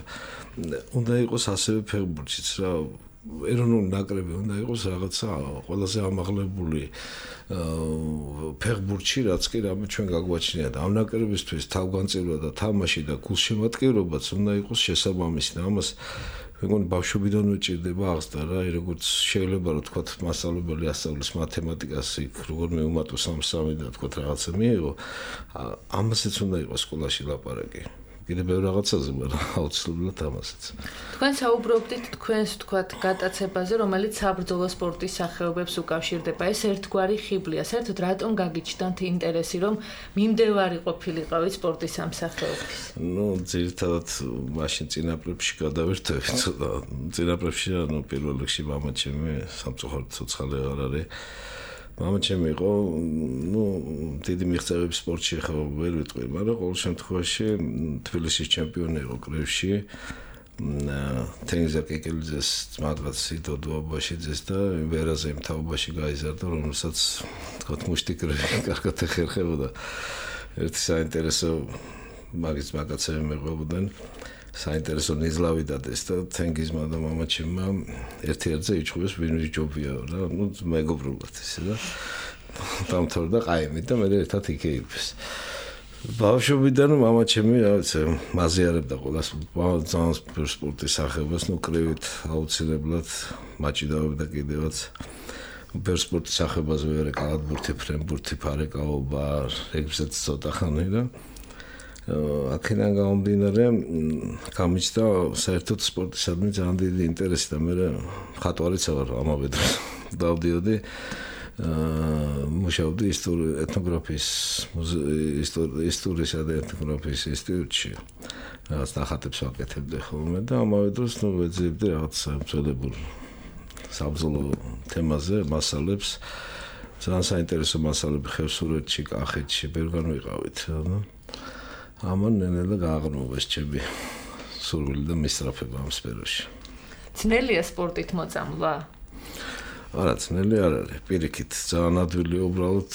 უნდა იყოს ასევე ფეხბურთშიც რა ეროვნული ნაკრები უნდა იყოს რაღაცა ყველაზე ამაღლებული ფეხბურთში, რაც კი რამე ჩვენ გაგვაჩნია და ამ ნაკრებისთვის თავგანწირვა და თამაში და გულშემატკივრობაც უნდა იყოს შესაბამისი და ამას მეგონი ბავშვობიდან უჭირდება აღსდა რა, როგორც შეიძლება რომ თქვა მასწავლებელი ასწავლის მათემატიკას, იქ როგორ მეუმატოს სამსამი და თქვა რაღაცა მიიღო, ამასაც უნდა იყოს სკოლაში ლაპარაკი. კიდევ ბევრ რაღაცაზე, მაგრამ აუცილებლად ამასაც. თქვენ საუბრობდით თქვენს თქვათ გატაცებაზე, რომელიც საბრძოლო სპორტის სახეობებს უკავშირდება. ეს ერთგვარი ხიბლია. საერთოდ რატომ გაგიჩნდათ ინტერესი, რომ მიმდევარი ყოფილიყავით სპორტის ამ სახეობის? ძირითადად მაშინ წინაპრებში გადავერთვით. წინაპრებში, პირველ რიგში მამაჩემი სამწუხაროდ ცოცხალი აღარ არის. მამაჩემი იყო, დიდი მიღწევები სპორტში ხო ვერ ვიტყვი, მაგრამ ყოველ შემთხვევაში თბილისის ჩემპიონი იყო კრევში. თენგიზ აკეკელიძეს ძმადღაც იდო დუაბაშიძეს და ვერაზე იმ თაობაში გაიზარდა, რომელსაც თქვა მუშტიკრები კარგად ეხერხებოდა. ერთი საინტერესო მაგის მაგაცები მეყვებოდნენ. საინტერესო ნიზლავი დადეს და თენგიზმა და მამაჩემმა ერთ-ერთზე იჩხუბეს ვინ ჯობია რა, მეგობრულად ისე და დამთავრდა ყაიმით და მე ერთად იქეიფეს. ბავშვობიდან მამაჩემი რაღაცა მაზიარებდა ყველას ძალიან სპორტის სახეობას, კრევით აუცილებლად მაჭიდავებდა კიდევაც. ბევრ სპორტის სახეობაზე ვერე კალათბურთი, ფრენბურთი, ფარეკაობა, რეგბისაც ცოტა ხანი და აქედან გამომდინარე გამიჩნდა საერთოდ სპორტისადმი ძალიან დიდი ინტერესი და მე მხატვარიც ვარ ამავე დროს დავდიოდი მუშაობდი ეთნოგრაფიის ისტორიისა და ეთნოგრაფიის ინსტიტუტში რაღაც ნახატებს ვაკეთებდი ხოლმე და ამავე დროს ვეძებდი რაღაც სამწოდებულ საბრძოლო თემაზე მასალებს ძალიან საინტერესო მასალები ხევსურეთში, კახეთში ბევრგან ვიყავით ამან ნელა გააღრმოვეს ჩემი სურვილი და მისწრაფება ამ სფეროში. ძნელია სპორტით მოწამლა? არა, ძნელი არ არის. პირიქით, ძალიან ადვილია უბრალოდ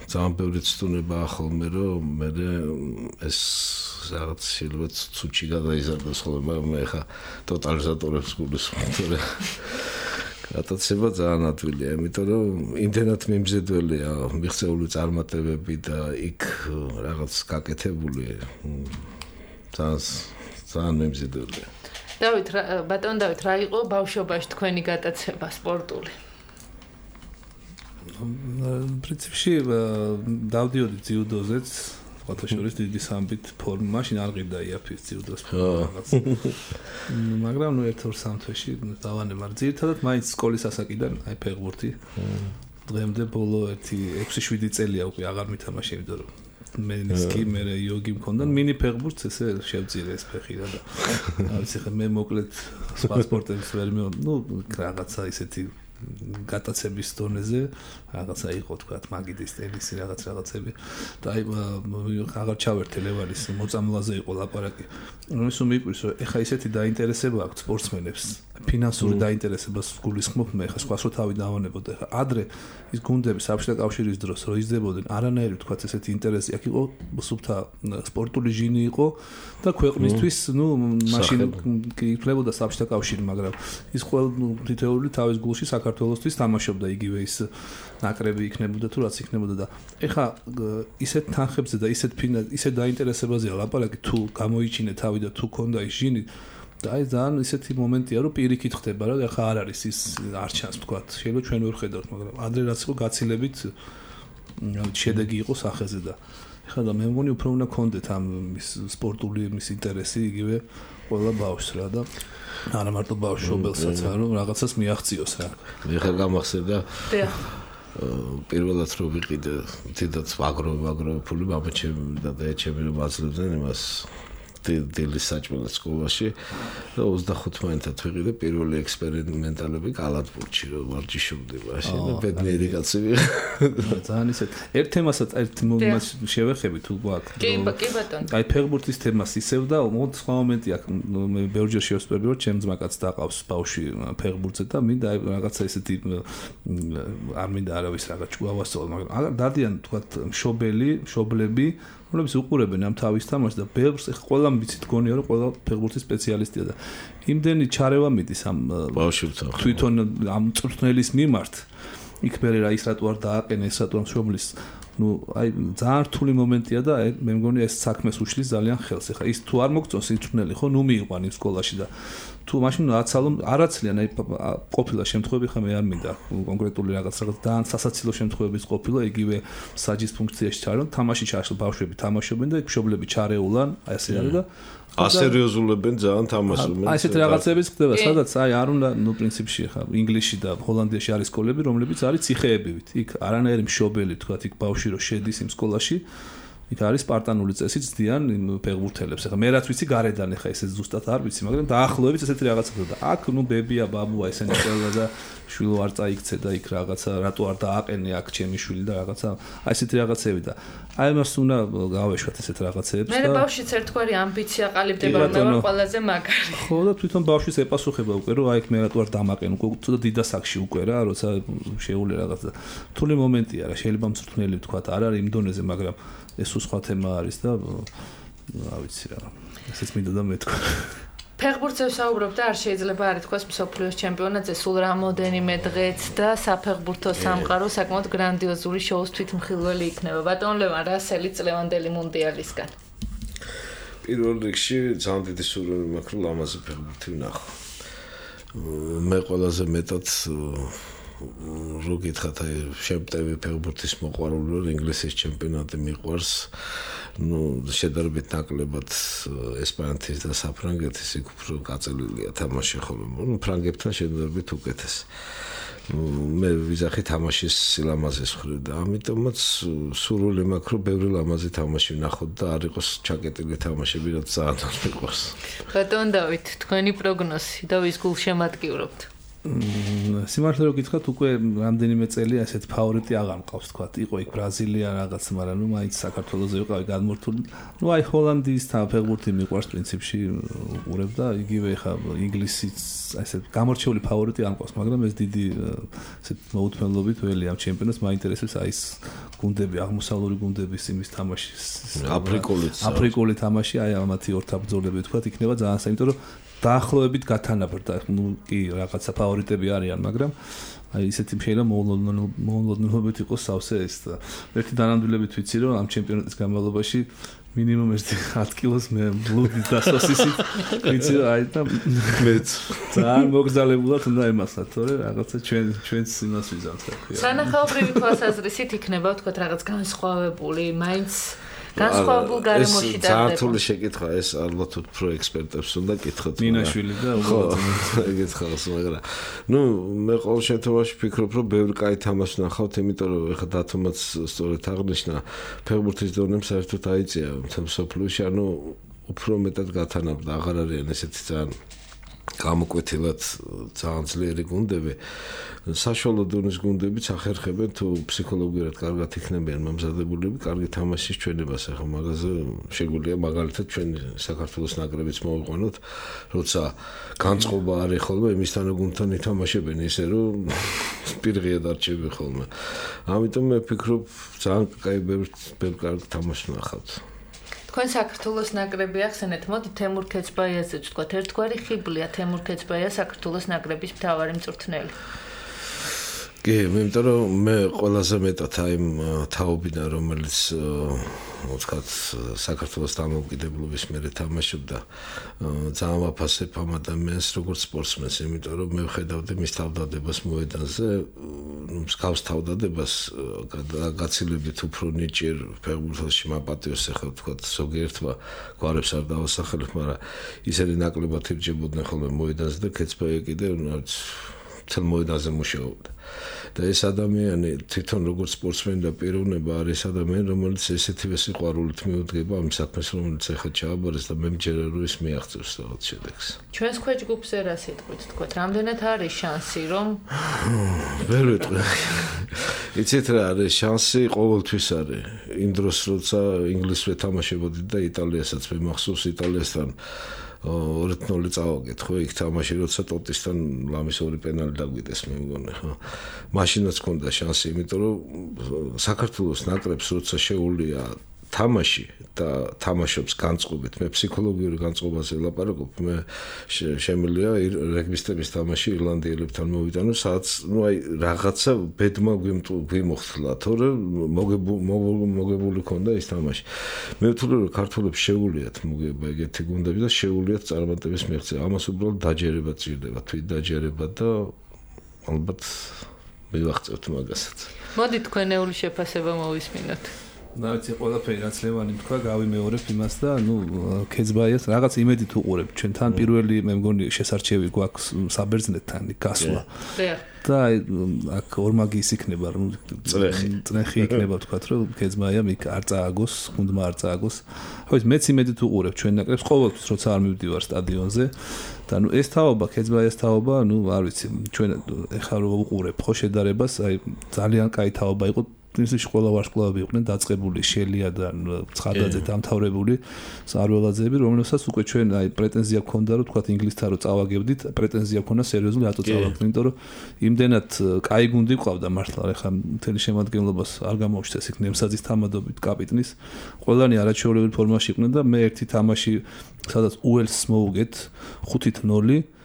ძალიან ბევრი ცდუნება ხოლმე, რომ მე ეს რაღაც შეიძლება ცუჩი გადაიზარდოს ხოლმე, მაგრამ მე ხა ტოტალიზატორებს გულისხმობ. გატაცება ძალიან ადვილია, იმიტომ რომ იმდენად მიმზედველია მიღწეული წარმატებები და იქ რაღაც გაკეთებული ძალიან მიმზედველია. დავით, ბატონ დავით, რა იყო ბავშვობაში თქვენი გატაცება სპორტული? პრინციპში დავდიოდი ძიუდოზეც, ფოტოშორის დიდი სამბით ფორმა, მაშინ არ ღირდა იაფის ძიუდოს რაღაც. მაგრამ ერთ-ორ სამ თვეში დავანე, მაგრამ ძირითადად მაინც სკოლის ასაკიდან აი ფეხბურთი. დღემდე ბოლო 6-7 წელია უკვე აღარ მითამაშე, იმიტომ რომ მენისკი, მე იოგი მქონდა, მინი ფეხბურთს ესე შევწირე ეს ფეხი და ვიცი ხე მე მოკლედ სხვა სპორტებს ვერ რაღაცა ისეთი გატაცების დონეზე რაღაცა იყო თქვა მაგიდის ტენისი რაღაცები და აი აღარ ჩავერთე ლევანის მოწამლაზე იყო ლაპარაკი რომელიც მიყვირს რომ ეხა ისეთი დაინტერესება აქვს სპორტსმენებს ფინანსური დაინტერესებას გულისხმობ მე ხა სხვას რო თავი დავანებოდა ხა ადრე ის გუნდები საბჭოთა კავშირის დროს რო იზრდებოდნენ არანაირი თქვა ესეთი ინტერესი აქ იყო სუფთა სპორტული ჟინი იყო და ქვეყნისთვის მაშინ იქნებოდა საბჭოთა კავშირი მაგრამ ის ყველა თითოეული თავის გულში საქართველოსთვის თამაშობდა იგივე ის ნაკრები იქნებოდა თუ რაც იქნებოდა და ეხა ისეთ თანხებზე და ისეთ დაინტერესებაზეა ლაპარაკი თუ გამოიჩინე თავი და თუ ქონდა ის ჟინი და აი ძალიან ისეთი მომენტია რომ პირიქით ხდება რა ეხა არ არის ის არჩანს თქვა შეიძლება ჩვენ ვერ ხედავთ მაგრამ ადრე რაც იყო გაცილებით შედეგი იყო სახეზე და ეხლა და მე მგონი უფრო უნდა გქონდეთ ამ სპორტული მის ინტერესი იგივე ყველა ბავშვს რა და არა მარტო ბავშვობელსაც რომ რაღაცას მიაღწიოს რა ეხლა გამახსენდა პირველად რო ვიყიდე თითქოს აგროვებული მამაჩემი და დაეჩემი რომ აძლევდნენ იმას დილის საჭმელად სკოლაში და 25-მდე ვიყიდე პირველი ექსპერიმენტალები კალათბურთში რომ ვარჯიშობდი მაშინ და ბედნიერი კაცი ვიყავ ძალიან ისეთ ერთ თემასაც ერთ მომენტს შევეხები თუ გვაქვს კი ბატონო აი ფეხბურთის თემას ისევ და სხვა მომენტი აქვს მე ბევრჯერ შევსწრები რომ ჩემ ძმაკაც დაყავს ბავშვი ფეხბურთზე და მინდა აი რაღაცა ისეთი არ მინდა არავის რაღაც ჭუავასწავლო მაგრამ დადიან თქვა მშობლები რომლებიც უყურებენ ამ თავის თამაშს და ბევრს ყველა ვიცით გონია რომ ყველა ფეხბურთის სპეციალისტია და იმდენი ჩარევა მიდის ამ ბავშვებთან თვითონ ამ წვრთნელის მიმართ იქ მერე რა ის რატო არ დააყენა ეს რატო ამ შობლის აი ძალიან რთული მომენტია და მე მგონი ეს საქმეს უშლის ძალიან ხელს. ეხლა ის თუ არ მოგწონს ის წვრთნელი ხო ნუ მიიყვან იმ სკოლაში და თუ მაშინ აცალო არაცლიან აი ყოფილა შემთხვევები ხა მე არ მინდა კონკრეტული რაღაც ძალიან სასაცილო შემთხვევების ყოფილა იგივე საჯის ფუნქციაში ჩარო თამაში ჩაშლა ბავშვები თამაშობენ და იქ მშობლები ჩარეულან აი ასე არის და ასერიოზულებენ ძალიან თამაშობენ. აი ესეთ რაღაცებიც ხდება, სადაც აი არ უნდა ნუ პრინციპში ხა ინგლისში და ჰოლანდიაში არის სკოლები, რომლებიც არის ციხეებივით. იქ არანაირი მშობელი თქვა იქ ბავშვი რო შედის იმ სკოლაში, იქ არის სპარტანული წესი ძდიან იმ ფეხბურთელებს. ეხლა მე რაც ვიცი გარედან ეხა ესეც ზუსტად არ ვიცი, მაგრამ დაახლოებით ესეთი რაღაცა ხდება. აქ ნუ ბებია, ბაბუა ესენი წელდა და შვილო არ წაიქცე და იქ რაღაცა რატო არ დააყენე აქ ჩემი შვილი და რაღაცა აი ესეთი რაღაცები და აი მას უნდა გავეშვათ ესეთ რაღაცებს და მე ბავშვიც ერთგვარი ამბიცია ყალიბდება რომ მე ვარ ყველაზე მაგარი. ხო და თვითონ ბავშვის ეპასუხება უკვე რომ აი მე რატო არ დამაყენ უკვე ცოტა დიდასაკში უკვე რა როცა შეეული რაღაცა რთული მომენტია რა შეიძლება მწვრთნელი თქვა არ არის იმ დონეზე მაგრამ ეს სხვა თემა არის და რა ვიცი რა ესეც მინდა და მეთქვა ფეხბურთზე ვსაუბრობ და არ შეიძლება არ ითქვას მსოფლიოს ჩემპიონატზე სულ რამოდენიმე დღეც და საფეხბურთო სამყარო საკმაოდ გრანდიოზული შოუს თვითმხილველი იქნება. ბატონ ლევან რასელი წლევანდელი მუნდიალისგან. პირველ რიგში ძალიან დიდი სურვილი მაქვს რომ ლამაზი ფეხბურთი ვნახო. მე ყველაზე მეტად რო გითხრათ აი შემტევი ფეხბურთის მოყვარული ვარ ინგლისის ჩემპიონატი მიყვარს. ну შედარებით ნაკლებად ესპანეთის და საფრანგეთის იქ უფრო გაწელილია თამაში ხოლმე. ну ფრანგებთან შედარებით უკეთეს. მე ვიზახი თამაშის სილამაზეს ხრევ და ამიტომაც სურვილი მაქვს რომ ბევრი ლამაზი თამაში ვნახოთ და არ იყოს ჩაკეტილი თამაშები რაც ძალიან მიყვარს. ბატონ დავით, თქვენი პროგნოზი და ვის გულშემატკივრობთ? სიმართლე რომ გითხრათ უკვე რამდენიმე წელი ასეთ ფავორიტი აღარ მყავს თქვა. იყო იქ ბრაზილია რაღაც, მაგრამ ნუ მაინც საქართველოზე ვიყავი გადმორთული. ნუ აი ჰოლანდიის ფეხბურთი მიყვარს პრინციპში უყურებ და იგივე ხა ინგლისიც ასეთ გამორჩეული ფავორიტი არ მყავს, მაგრამ ეს დიდი ასეთ მოუთმენლობით ველი ამ ჩემპიონატს მაინტერესებს აი ეს გუნდები, აღმოსავლური გუნდების იმის თამაში, აფრიკული თამაში, აი ამათი ორთაბრძოლები თქვა, იქნება ძალიან საინტერესო, იმიტომ რომ დაახლოებით გათანაბრდა. ნუ კი რაღაცა ფავორიტები არიან, მაგრამ აი ისეთი შეიძლება მოულოდნელობით იყოს სავსე ეს და ერთი დანამდვილებით ვიცი რომ ამ ჩემპიონატის განმავლობაში მინიმუმ 10 კილოს მე ბლუდი და სოსისით ვიცი აი და მეც ძალიან მოგზალებულად უნდა ემასათ, თორე რაღაცა ჩვენს იმას ვიზამთ რა ქვია. სანახაობრივი თვალსაზრისით იქნება თქვა რაღაც განსხვავებული, მაინც განსხვავებულ გარემოში და ზართული შეკითხვა ეს ალბათ უფრო ექსპერტებს უნდა კითხოთ. მინაშვილი და უბრალოდ ეგეც ხალხს მაგრამ ნუ მე ყოველ შემთხვევაში ვფიქრობ რომ ბევრი კაი თამაში ნახავთ, იმიტომ რომ ეხა დათომაც სწორედ აღნიშნა ფეხბურთის დონემ საერთოდ აიწია მთელ მსოფლიოში, ანუ უფრო მეტად გათანაბრდა, აღარ არიან ესეთი ძალიან გამოკვეთილად ძალიან ძლიერი გუნდები. საშუალო დონის გუნდებიც ახერხებენ თუ ფსიქოლოგიურად კარგად იქნებიან მომზადებულები, კარგი თამაშის ჩვენებას. ახლა მაგაზე შეგვიძლია მაგალითად ჩვენ საქართველოს ნაკრებიც მოვიყვანოთ, როცა განწყობა არის ხოლმე იმისთან გუნდთან ითამაშებენ ისე რომ პირღია დარჩები ხოლმე. ამიტომ მე ვფიქრობ ძალიან კაი ბევრი კარგი თამაში ვნახავთ. თქვენ საქართველოს ნაკრები ახსენეთ, მოდი თემურ ქეცბაიაზე ვთქვათ, ერთგვარი ხიბლია თემურ ქეცბაია საქართველოს ნაკრების მთავარი მწვრთნელი. კი, იმიტომ რომ მე ყველაზე მეტად აი თაობიდან რომელიც ვთქვათ საქართველოს დამოუკიდებლობის მერე თამაშობდა ძალიან ვაფასებ ამ ადამიანს როგორც სპორტსმენს, იმიტომ რომ მე ვხედავდი მის თავდადებას მოედანზე, მსგავს თავდადებას გაცილებით უფრო ნიჭიერ ფეხბურთში მაპატიოს ახლა ვთქვათ ზოგიერთმა გვარებს არ დავასახელებ, მაგრამ ისინი ნაკლებად ირჯებოდნენ ხოლმე მოედანზე და ქეცბაია კიდე თელ მოედანზე მუშაობდა. და ეს ადამიანი თვითონ როგორც სპორტსმენი და პიროვნება არის ადამიანი, რომელიც ესეთივე სიყვარულით მიუდგება ამ საქმეს, რომელიც ახლა ჩააბარეს და მე მჯერა რომ ის მიაღწევს რაღაც შედეგს. ჩვენს ქვეჯგუფზე რა სიტყვით თქვათ, რამდენად არის შანსი რომ ვერ ვიტყვი. იცით რა არის შანსი, ყოველთვის არის. იმ დროს როცა ინგლისს ვეთამაშებოდი და იტალიასაც მე მახსოვს იტალიასთან 2-0 წავაგეთ ხო იქ თამაში როცა ტოტისთან ლამის ორი პენალი დაგვიდეს მე მგონი ხო მაშინაც ჰქონდა შანსი, იმიტომ რომ საქართველოს ნაკრებს როცა შეუულია თამაში და თამაშობს განწყობით. მე ფსიქოლოგიური განწყობაზე ელაპარაკობ. მე შემიძლია რეგბისტების თამაში ირლანდიელებთან მოვიტანო, სადაც რაღაცა ბედმა გვიმოხთლა, თორე მოგებული ქონდა ის თამაში. მე ვთვლი რომ ქართველებს შეუულიათ მოგება ეგეთი გუნდები და შეუულიათ წარმატების მიღწევა. ამას უბრალოდ დაჯერება ჭირდება, თვით დაჯერება და ალბათ მივახწევთ მაგასაც. მოდით თქვენეული შეფასება მოვისმინოთ. ნაცი ყველაფერი რაც ლევანი თქვა, გავიმეორებ იმას და ქეძბაიას რაღაც იმედით უყურებ. ჩვენთან პირველი მე მგონი შესარჩევი გვაქვს საბერძნეთთან გასვლა. და აქ ორმაგის იქნება, რომ წნეხი იქნება თქვა, რომ ქეძბაია მიქ არ წააგოს, გუნდმა არ წააგოს. ხო, მეც იმედით უყურებ ჩვენ ნაკრებს ყოველთვის, როცა არ მივდივარ სტადიონზე. და ეს თაობა, ქეძბაიას თაობა, არ ვიცი, ჩვენ ეხლა რო უყურებ ხო შედარებას, ძალიან კაი თაობა იყო. ისე ყველა ვარსკვლავები იყვნენ დაწყებული შელია და ცხადაძე დამთავრებული სარველაძეები რომელსაც უკვე ჩვენ პრეტენზია გქონდა რომ თქვა ინგლისთან რო წავაგებდით პრეტენზია გქონდა სერიოზული რატო წავაგდით იმიტომ რომ იმდენად კაი გუნდი ყავდა მართლა ეხლა მთელი შემადგენლობას არ გამოუჩნდეს იქ ნემსაძის თამადობით კაპიტნის ყველანი არაჩვეულებრივ ფორმაში იყვნენ და მე ერთი თამაში სადაც უელსს მოუგეთ 5-0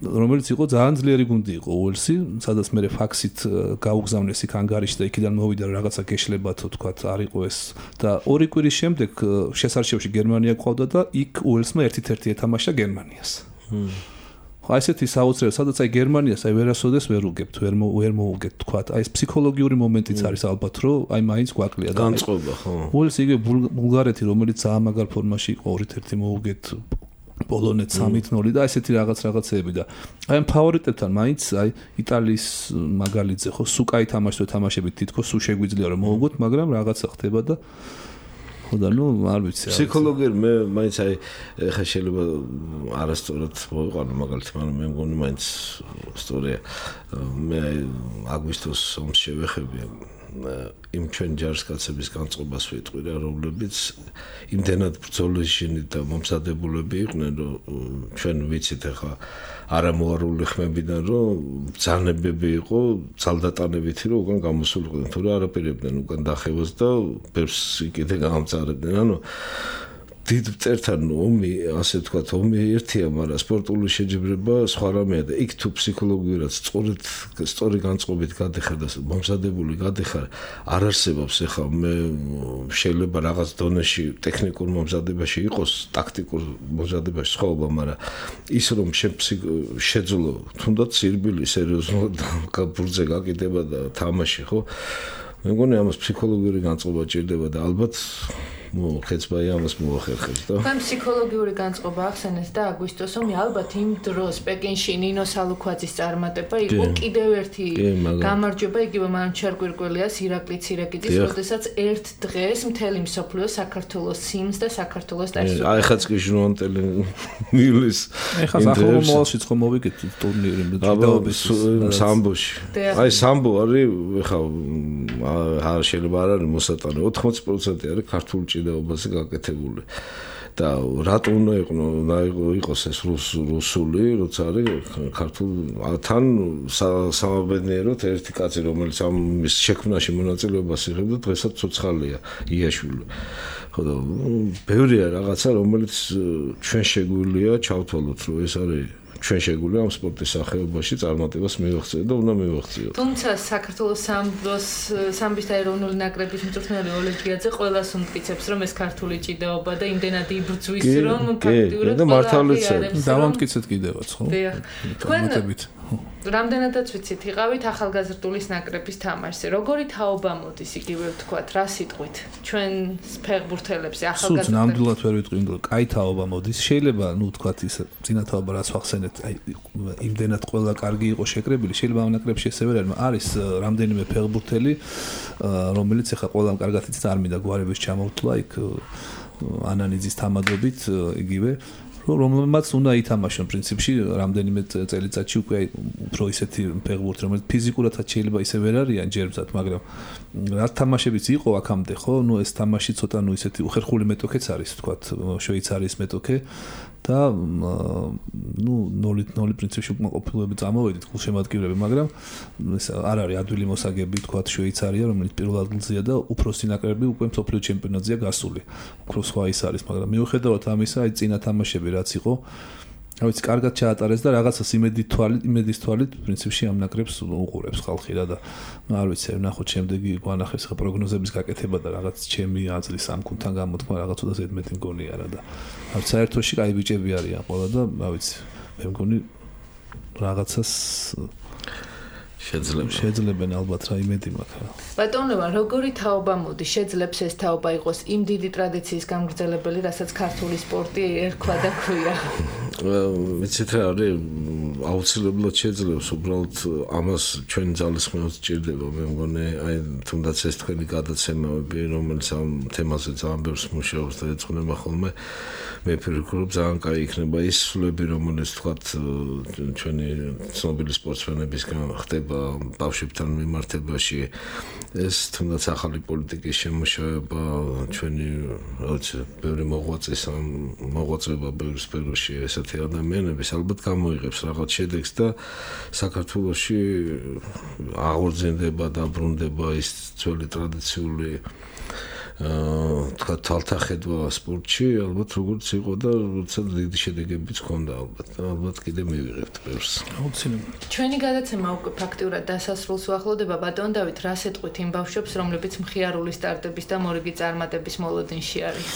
რომელიც იყო ძალიან ძლიერი გუნდი იყო უელსი, სადაც მე ფაქსით გაუგზავნეს იქ ანგარიში და იქიდან მოვიდა რაღაცა გეშლებათო თქვა არ იყო ეს და 2 კვირის შემდეგ შესარჩევში გერმანია ყავდა და იქ უელსმა 1-1 ეთამაშა გერმანიას. ხო ესეთი საოცრებია, სადაც აი გერმანიას აი ვერასოდეს ვერ უგებთ, ვერ მოუგებთ თქვა. აი ეს ფსიქოლოგიური მომენტიც არის ალბათ, რომ აი მაინც გვაკლია და განწყობა, ხო. უელსი იგივე ბულგარეთი, რომელიც ძალიან მაგარ ფორმაში იყო 2-1 მოუგეთ პოლონეთ 3-0 და ესეთი რაღაცეები და აი ამ ფავორიტებთან მაინც აი იტალიის მაგალითზე ხო სუკაი თამაშებით თითქოს სულ შეგვიძლია რომ მოუგოთ მაგრამ რაღაცა ხდება და ხო და არ ვიცი ფსიქოლოგიურად მე მაინც აი ხა შეიძლება არასწორად მოვიყვანო მაგალითად მაგრამ მე მგონი მაინც ისტორია მე აგვისტოს ომს შევეხები იმ ჩვენ ჯარისკაცების განწყობას ვიტყვი რა რომლებიც იმდენად ბრძოლისშინი და მომზადებულები იყვნენ რომ ჩვენ ვიცით ახლა არამოარული ხმებიდან რომ ბრძანებები იყო ძალდატანებითი რომ უკან გამოსულიყვნენ თუ რა არაპირებდნენ უკან დახევას და ბევრს კიდე გამწარებდნენ ანუ დიდ წერთან ომი ასე ვთქვათ ომი ერთია მაგრამ სპორტული შეჯიბრება სხვა რამეა და იქ თუ ფსიქოლოგიურად სწორი განწყობით გადიხარ და მომზადებული გადიხარ არ არსებობს ეხლა მე შეიძლება რაღაც დონეში ტექნიკურ მომზადებაში იყოს ტაქტიკურ მომზადებაში სხვაობა მაგრამ ის რომ შეძლო თუნდაც სირბილი სერიოზულად ბურთზე გაკიდება და თამაში ხო მე მგონი ამას ფსიქოლოგიური განწყობა ჭირდება და ალბათ ხეცბაი ამას მოახერხებს და ამ ფსიქოლოგიური განწყობა ახსენეს და აგვისტოს ომი ალბათ იმ დროს პეკინში ნინო სალუქვაძის წარმატება იყო კიდევ ერთი გამარჯვება იგივე მანჩარ კვირკველიას ირაკლი ცირეკიძის როდესაც ერთ დღეს მთელი მსოფლიო საქართველოს სიმს და საქართველოს დაისურვა აი ხაც კი ჟურნალისტელი მიulis ეხლა ახალ მოვალშიც ხომ მოვიგეთ ტურნირი ჭიდაობის სამბოში აი სამბო არის ეხლა არ შეიძლება არ არის მოსატანე 80% არის ქართული ჭიდაობაზე გაკეთებული და რატო უნდა იყოს ეს რუსული როცა არის ქართულ თან სამაბედნიეროდ ერთი კაცი რომელიც ამ შექმნაში მონაწილეობას იღებდა დღესაც ცოცხალია იაშვილი ხო და ბევრია რაღაცა რომელიც ჩვენ შეგვიძლია ჩავთვალოთ რომ ეს არის ჩვენ შეგვიძლია ამ სპორტის სახეობაში წარმატებას მივაღწიოთ და უნდა მივაღწიოთ. თუმცა საქართველოს სამბის და ეროვნული ნაკრების მწვრთნელი ოლეგ გიაძე ყველას უმტკიცებს რომ ეს ქართული ჭიდაობა და იმდენად იბრძვის რომ ფაქტიურად და მართალიც დავამტკიცეთ კიდევაც ხო? თქვენ რამდენადაც ვიცით იყავით ახალგაზრდულის ნაკრების თამაშზე. როგორი თაობა მოდის იგივე ვთქვათ რა სიტყვით ჩვენ ფეხბურთელებზე ახალგაზრდებს? სულ ნამდვილად ვერ ვიტყვი რომ კაი თაობა მოდის. შეიძლება ვთქვათ ის წინა თაობა რაც ვახსენეთ აი იმდენად ყველა კარგი იყო შეკრებილი შეიძლება ამ ნაკრებში ესე ვერ არის რამდენიმე ფეხბურთელი რომელიც ახლა ყველამ კარგად იცით არ მინდა გვარების ჩამოვთვლა იქ ანანიძის თამადობით იგივე რომელმაც უნდა ითამაშონ პრინციპში რამდენიმე წელიწადში უკვე უფრო ისეთი ფეხბურთი, რომელიც ფიზიკურადაც შეიძლება ისე ვერ არიან ჯერმზად, მაგრამ რა თამაშებიც იყო აქამდე, ხო? ეს თამაში ცოტა ისეთი უხერხული მეტოქეც არის, ვთქვათ, შვეიცარიის მეტოქე და 0-0 პრინციპში უკმაყოფილოები წამოვედით გულშემატკივრები, მაგრამ ეს არ არის ადვილი მოსაგები, ვთქვათ, შვეიცარია, რომელიც პირველ ადგილზეა და უფროსი ნაკრები უკვე მსოფლიო ჩემპიონატზეა გასული. უფრო სხვა ის არის, მაგრამ მიუხედავად ამისა, აი წინა თამაშები რაც იყო, რა ვიცი, კარგად ჩაატარეს და რაღაცას იმედის თვალით პრინციპში ამ ნაკრებს უყურებს ხალხი რა და არ ვიცი, ნახოთ შემდეგი გვანახებს ხა პროგნოზების გაკეთება და რაღაც ჩემი აზრის ამ გუნდთან გამოთქვა რაღაც უდა ზედმეტი მგონია რა და არ საერთოში კაი ბიჭები არიან ყველა და რა ვიცი, მე მგონი რაღაცას შეძლებენ ალბათ რა იმედი მაქვს. ბატონო, როგორი თაობა მოდი შეძლებს ეს თაობა იყოს იმ დიდი ტრადიციის გამგრძელებელი, რასაც ქართული სპორტი ერქვა და ქვია? ვიცით რა არის, აუცილებლად შეძლებს, უბრალოდ ამას ჩვენი ძალისხმევაც სჭირდება, მე მგონი, აი თუნდაც ეს თქვენი გადაცემები, რომელიც ამ თემაზე ძალიან ბევრს მუშაობს და ეძღვნება ხოლმე, მე ვფიქრობ ძალიან კაი იქნება ის სულები, რომელიც თქვათ ჩვენი ცნობილი სპორტსმენებისგან ხდება ბავშვებთან მიმართებაში, ეს თუნდაც ახალი პოლიტიკის შემუშავება, ჩვენი რა ვიცი, ბევრი მოღვაწეობა ბევრ სფეროში ესეთი ადამიანების ალბათ გამოიღებს რაღაც შედეგს და საქართველოში აღორძინდება, დაბრუნდება ის ძველი ტრადიციული თქვა თვალთახედვა სპორტში, ალბათ როგორც იყო და როცა დიდი შედეგებიც ჰქონდა ალბათ კიდე მივიღებთ ბევრს. აუცილებლად. ჩვენი გადაცემა უკვე ფაქტიურად დასასრულს უახლოვდება, ბატონ დავით, რას ეტყვით იმ ბავშვებს, რომლებიც მხიარული სტარტების და მორიგი წარმატების მოლოდინში არის?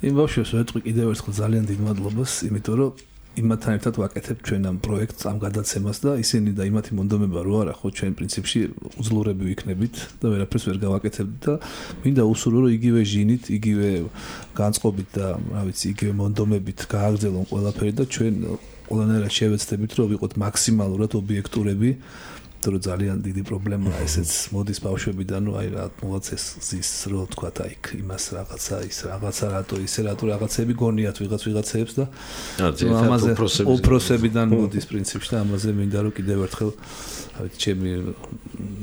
იმ ბავშვებს ვეტყვი კიდევ ერთხელ ძალიან დიდ მადლობას, იმიტომ რომ იმათთან ერთად ვაკეთებ ჩვენ ამ პროექტს, ამ გადაცემას და ისინი და იმათი მონდომება რო არა, ხო, ჩვენ პრინციპში უძლურები ვიქნებით და ვერაფერს ვერ გავაკეთებთ და მინდა უსურვო, რომ იგივე ჟინით, იგივე განწყობით და, რა ვიცი, იგივე მონდომებით გააგრძელონ ყველაფერი და ჩვენ ყველანაირად შევეცდებით, რომ ვიყოთ მაქსიმალურად ობიექტურები. Tru ძალიან დიდი პრობლემაა ესეც მოდის ბავშვებიდან, აი რა მოაცეს ზის რო თქვა აი იმას რაღაცა ის რაღაცა რატო ისე რატო რაღაცები გონიათ ვიღაცებს და ამაზე უპროსებიდან მოდის პრინციპში და ამაზე მინდა რომ კიდევ ერთხელ აი ჩემი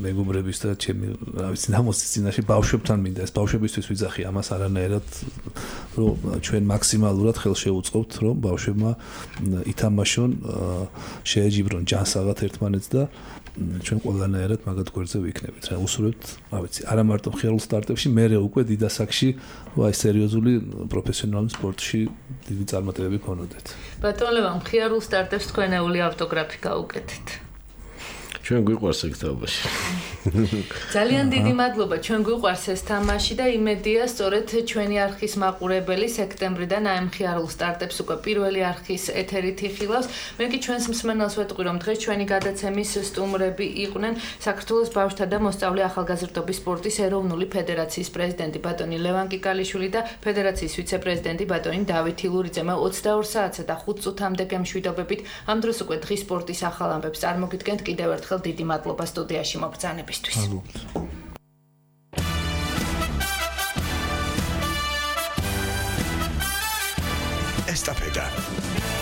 მეგობრების და ჩემი რა ვიცი ნამოსის წინაშე ბავშვებთან მინდა ეს ბავშვებისთვის ვიძახი ამას არანაირად რომ ჩვენ მაქსიმალურად ხელს შევუწყობთ რომ ბავშვებმა ითამაშონ შეეჯიბრონ ჯანსაღად ერთმანეთს და ჩვენ ყველანაირად მაგათ გვერდზე ვიქნებით რა უსურვებთ რა ვიცი არა მარტო მხიარულ სტარტებში მერე უკვე დიდ ასაკში აი სერიოზული პროფესიონალური სპორტში დიდი წარმატებები გქონოდეთ ბატონ ლევან მხიარულ სტარტებს თქვენეული ავტოგრაფი გაუკეთეთ ჩვენ გვიყვარს ეგ თამაში ძალიან დიდი მადლობა ჩვენ გვიყვარს ეს თამაში და იმედია სწორედ ჩვენი არხის მაყურებელი სექტემბრიდან აი მხიარულ სტარტებს უკვე პირველი არხის ეთერით იხილავს მე კი ჩვენს მსმენელს ვეტყვი რომ დღეს ჩვენი გადაცემის სტუმრები იყვნენ საქართველოს ბავშვთა და მოსწავლე ახალგაზრდობის სპორტის ეროვნული ფედერაციის პრეზიდენტი ბატონი ლევან კიკალიშვილი და ფედერაციის ვიცე-პრეზიდენტი ბატონი დავით ილურიძე მე 22 საათსა და 5 წუთამდე გემშვიდობებით ამ დროს უკვე დღის სპორტის ახალ ამბებს წარმოგიდგენთ კიდევ ერთხელ დიდი მადლობა სტუდიაში მოგზაურობისთვის. Estafeta.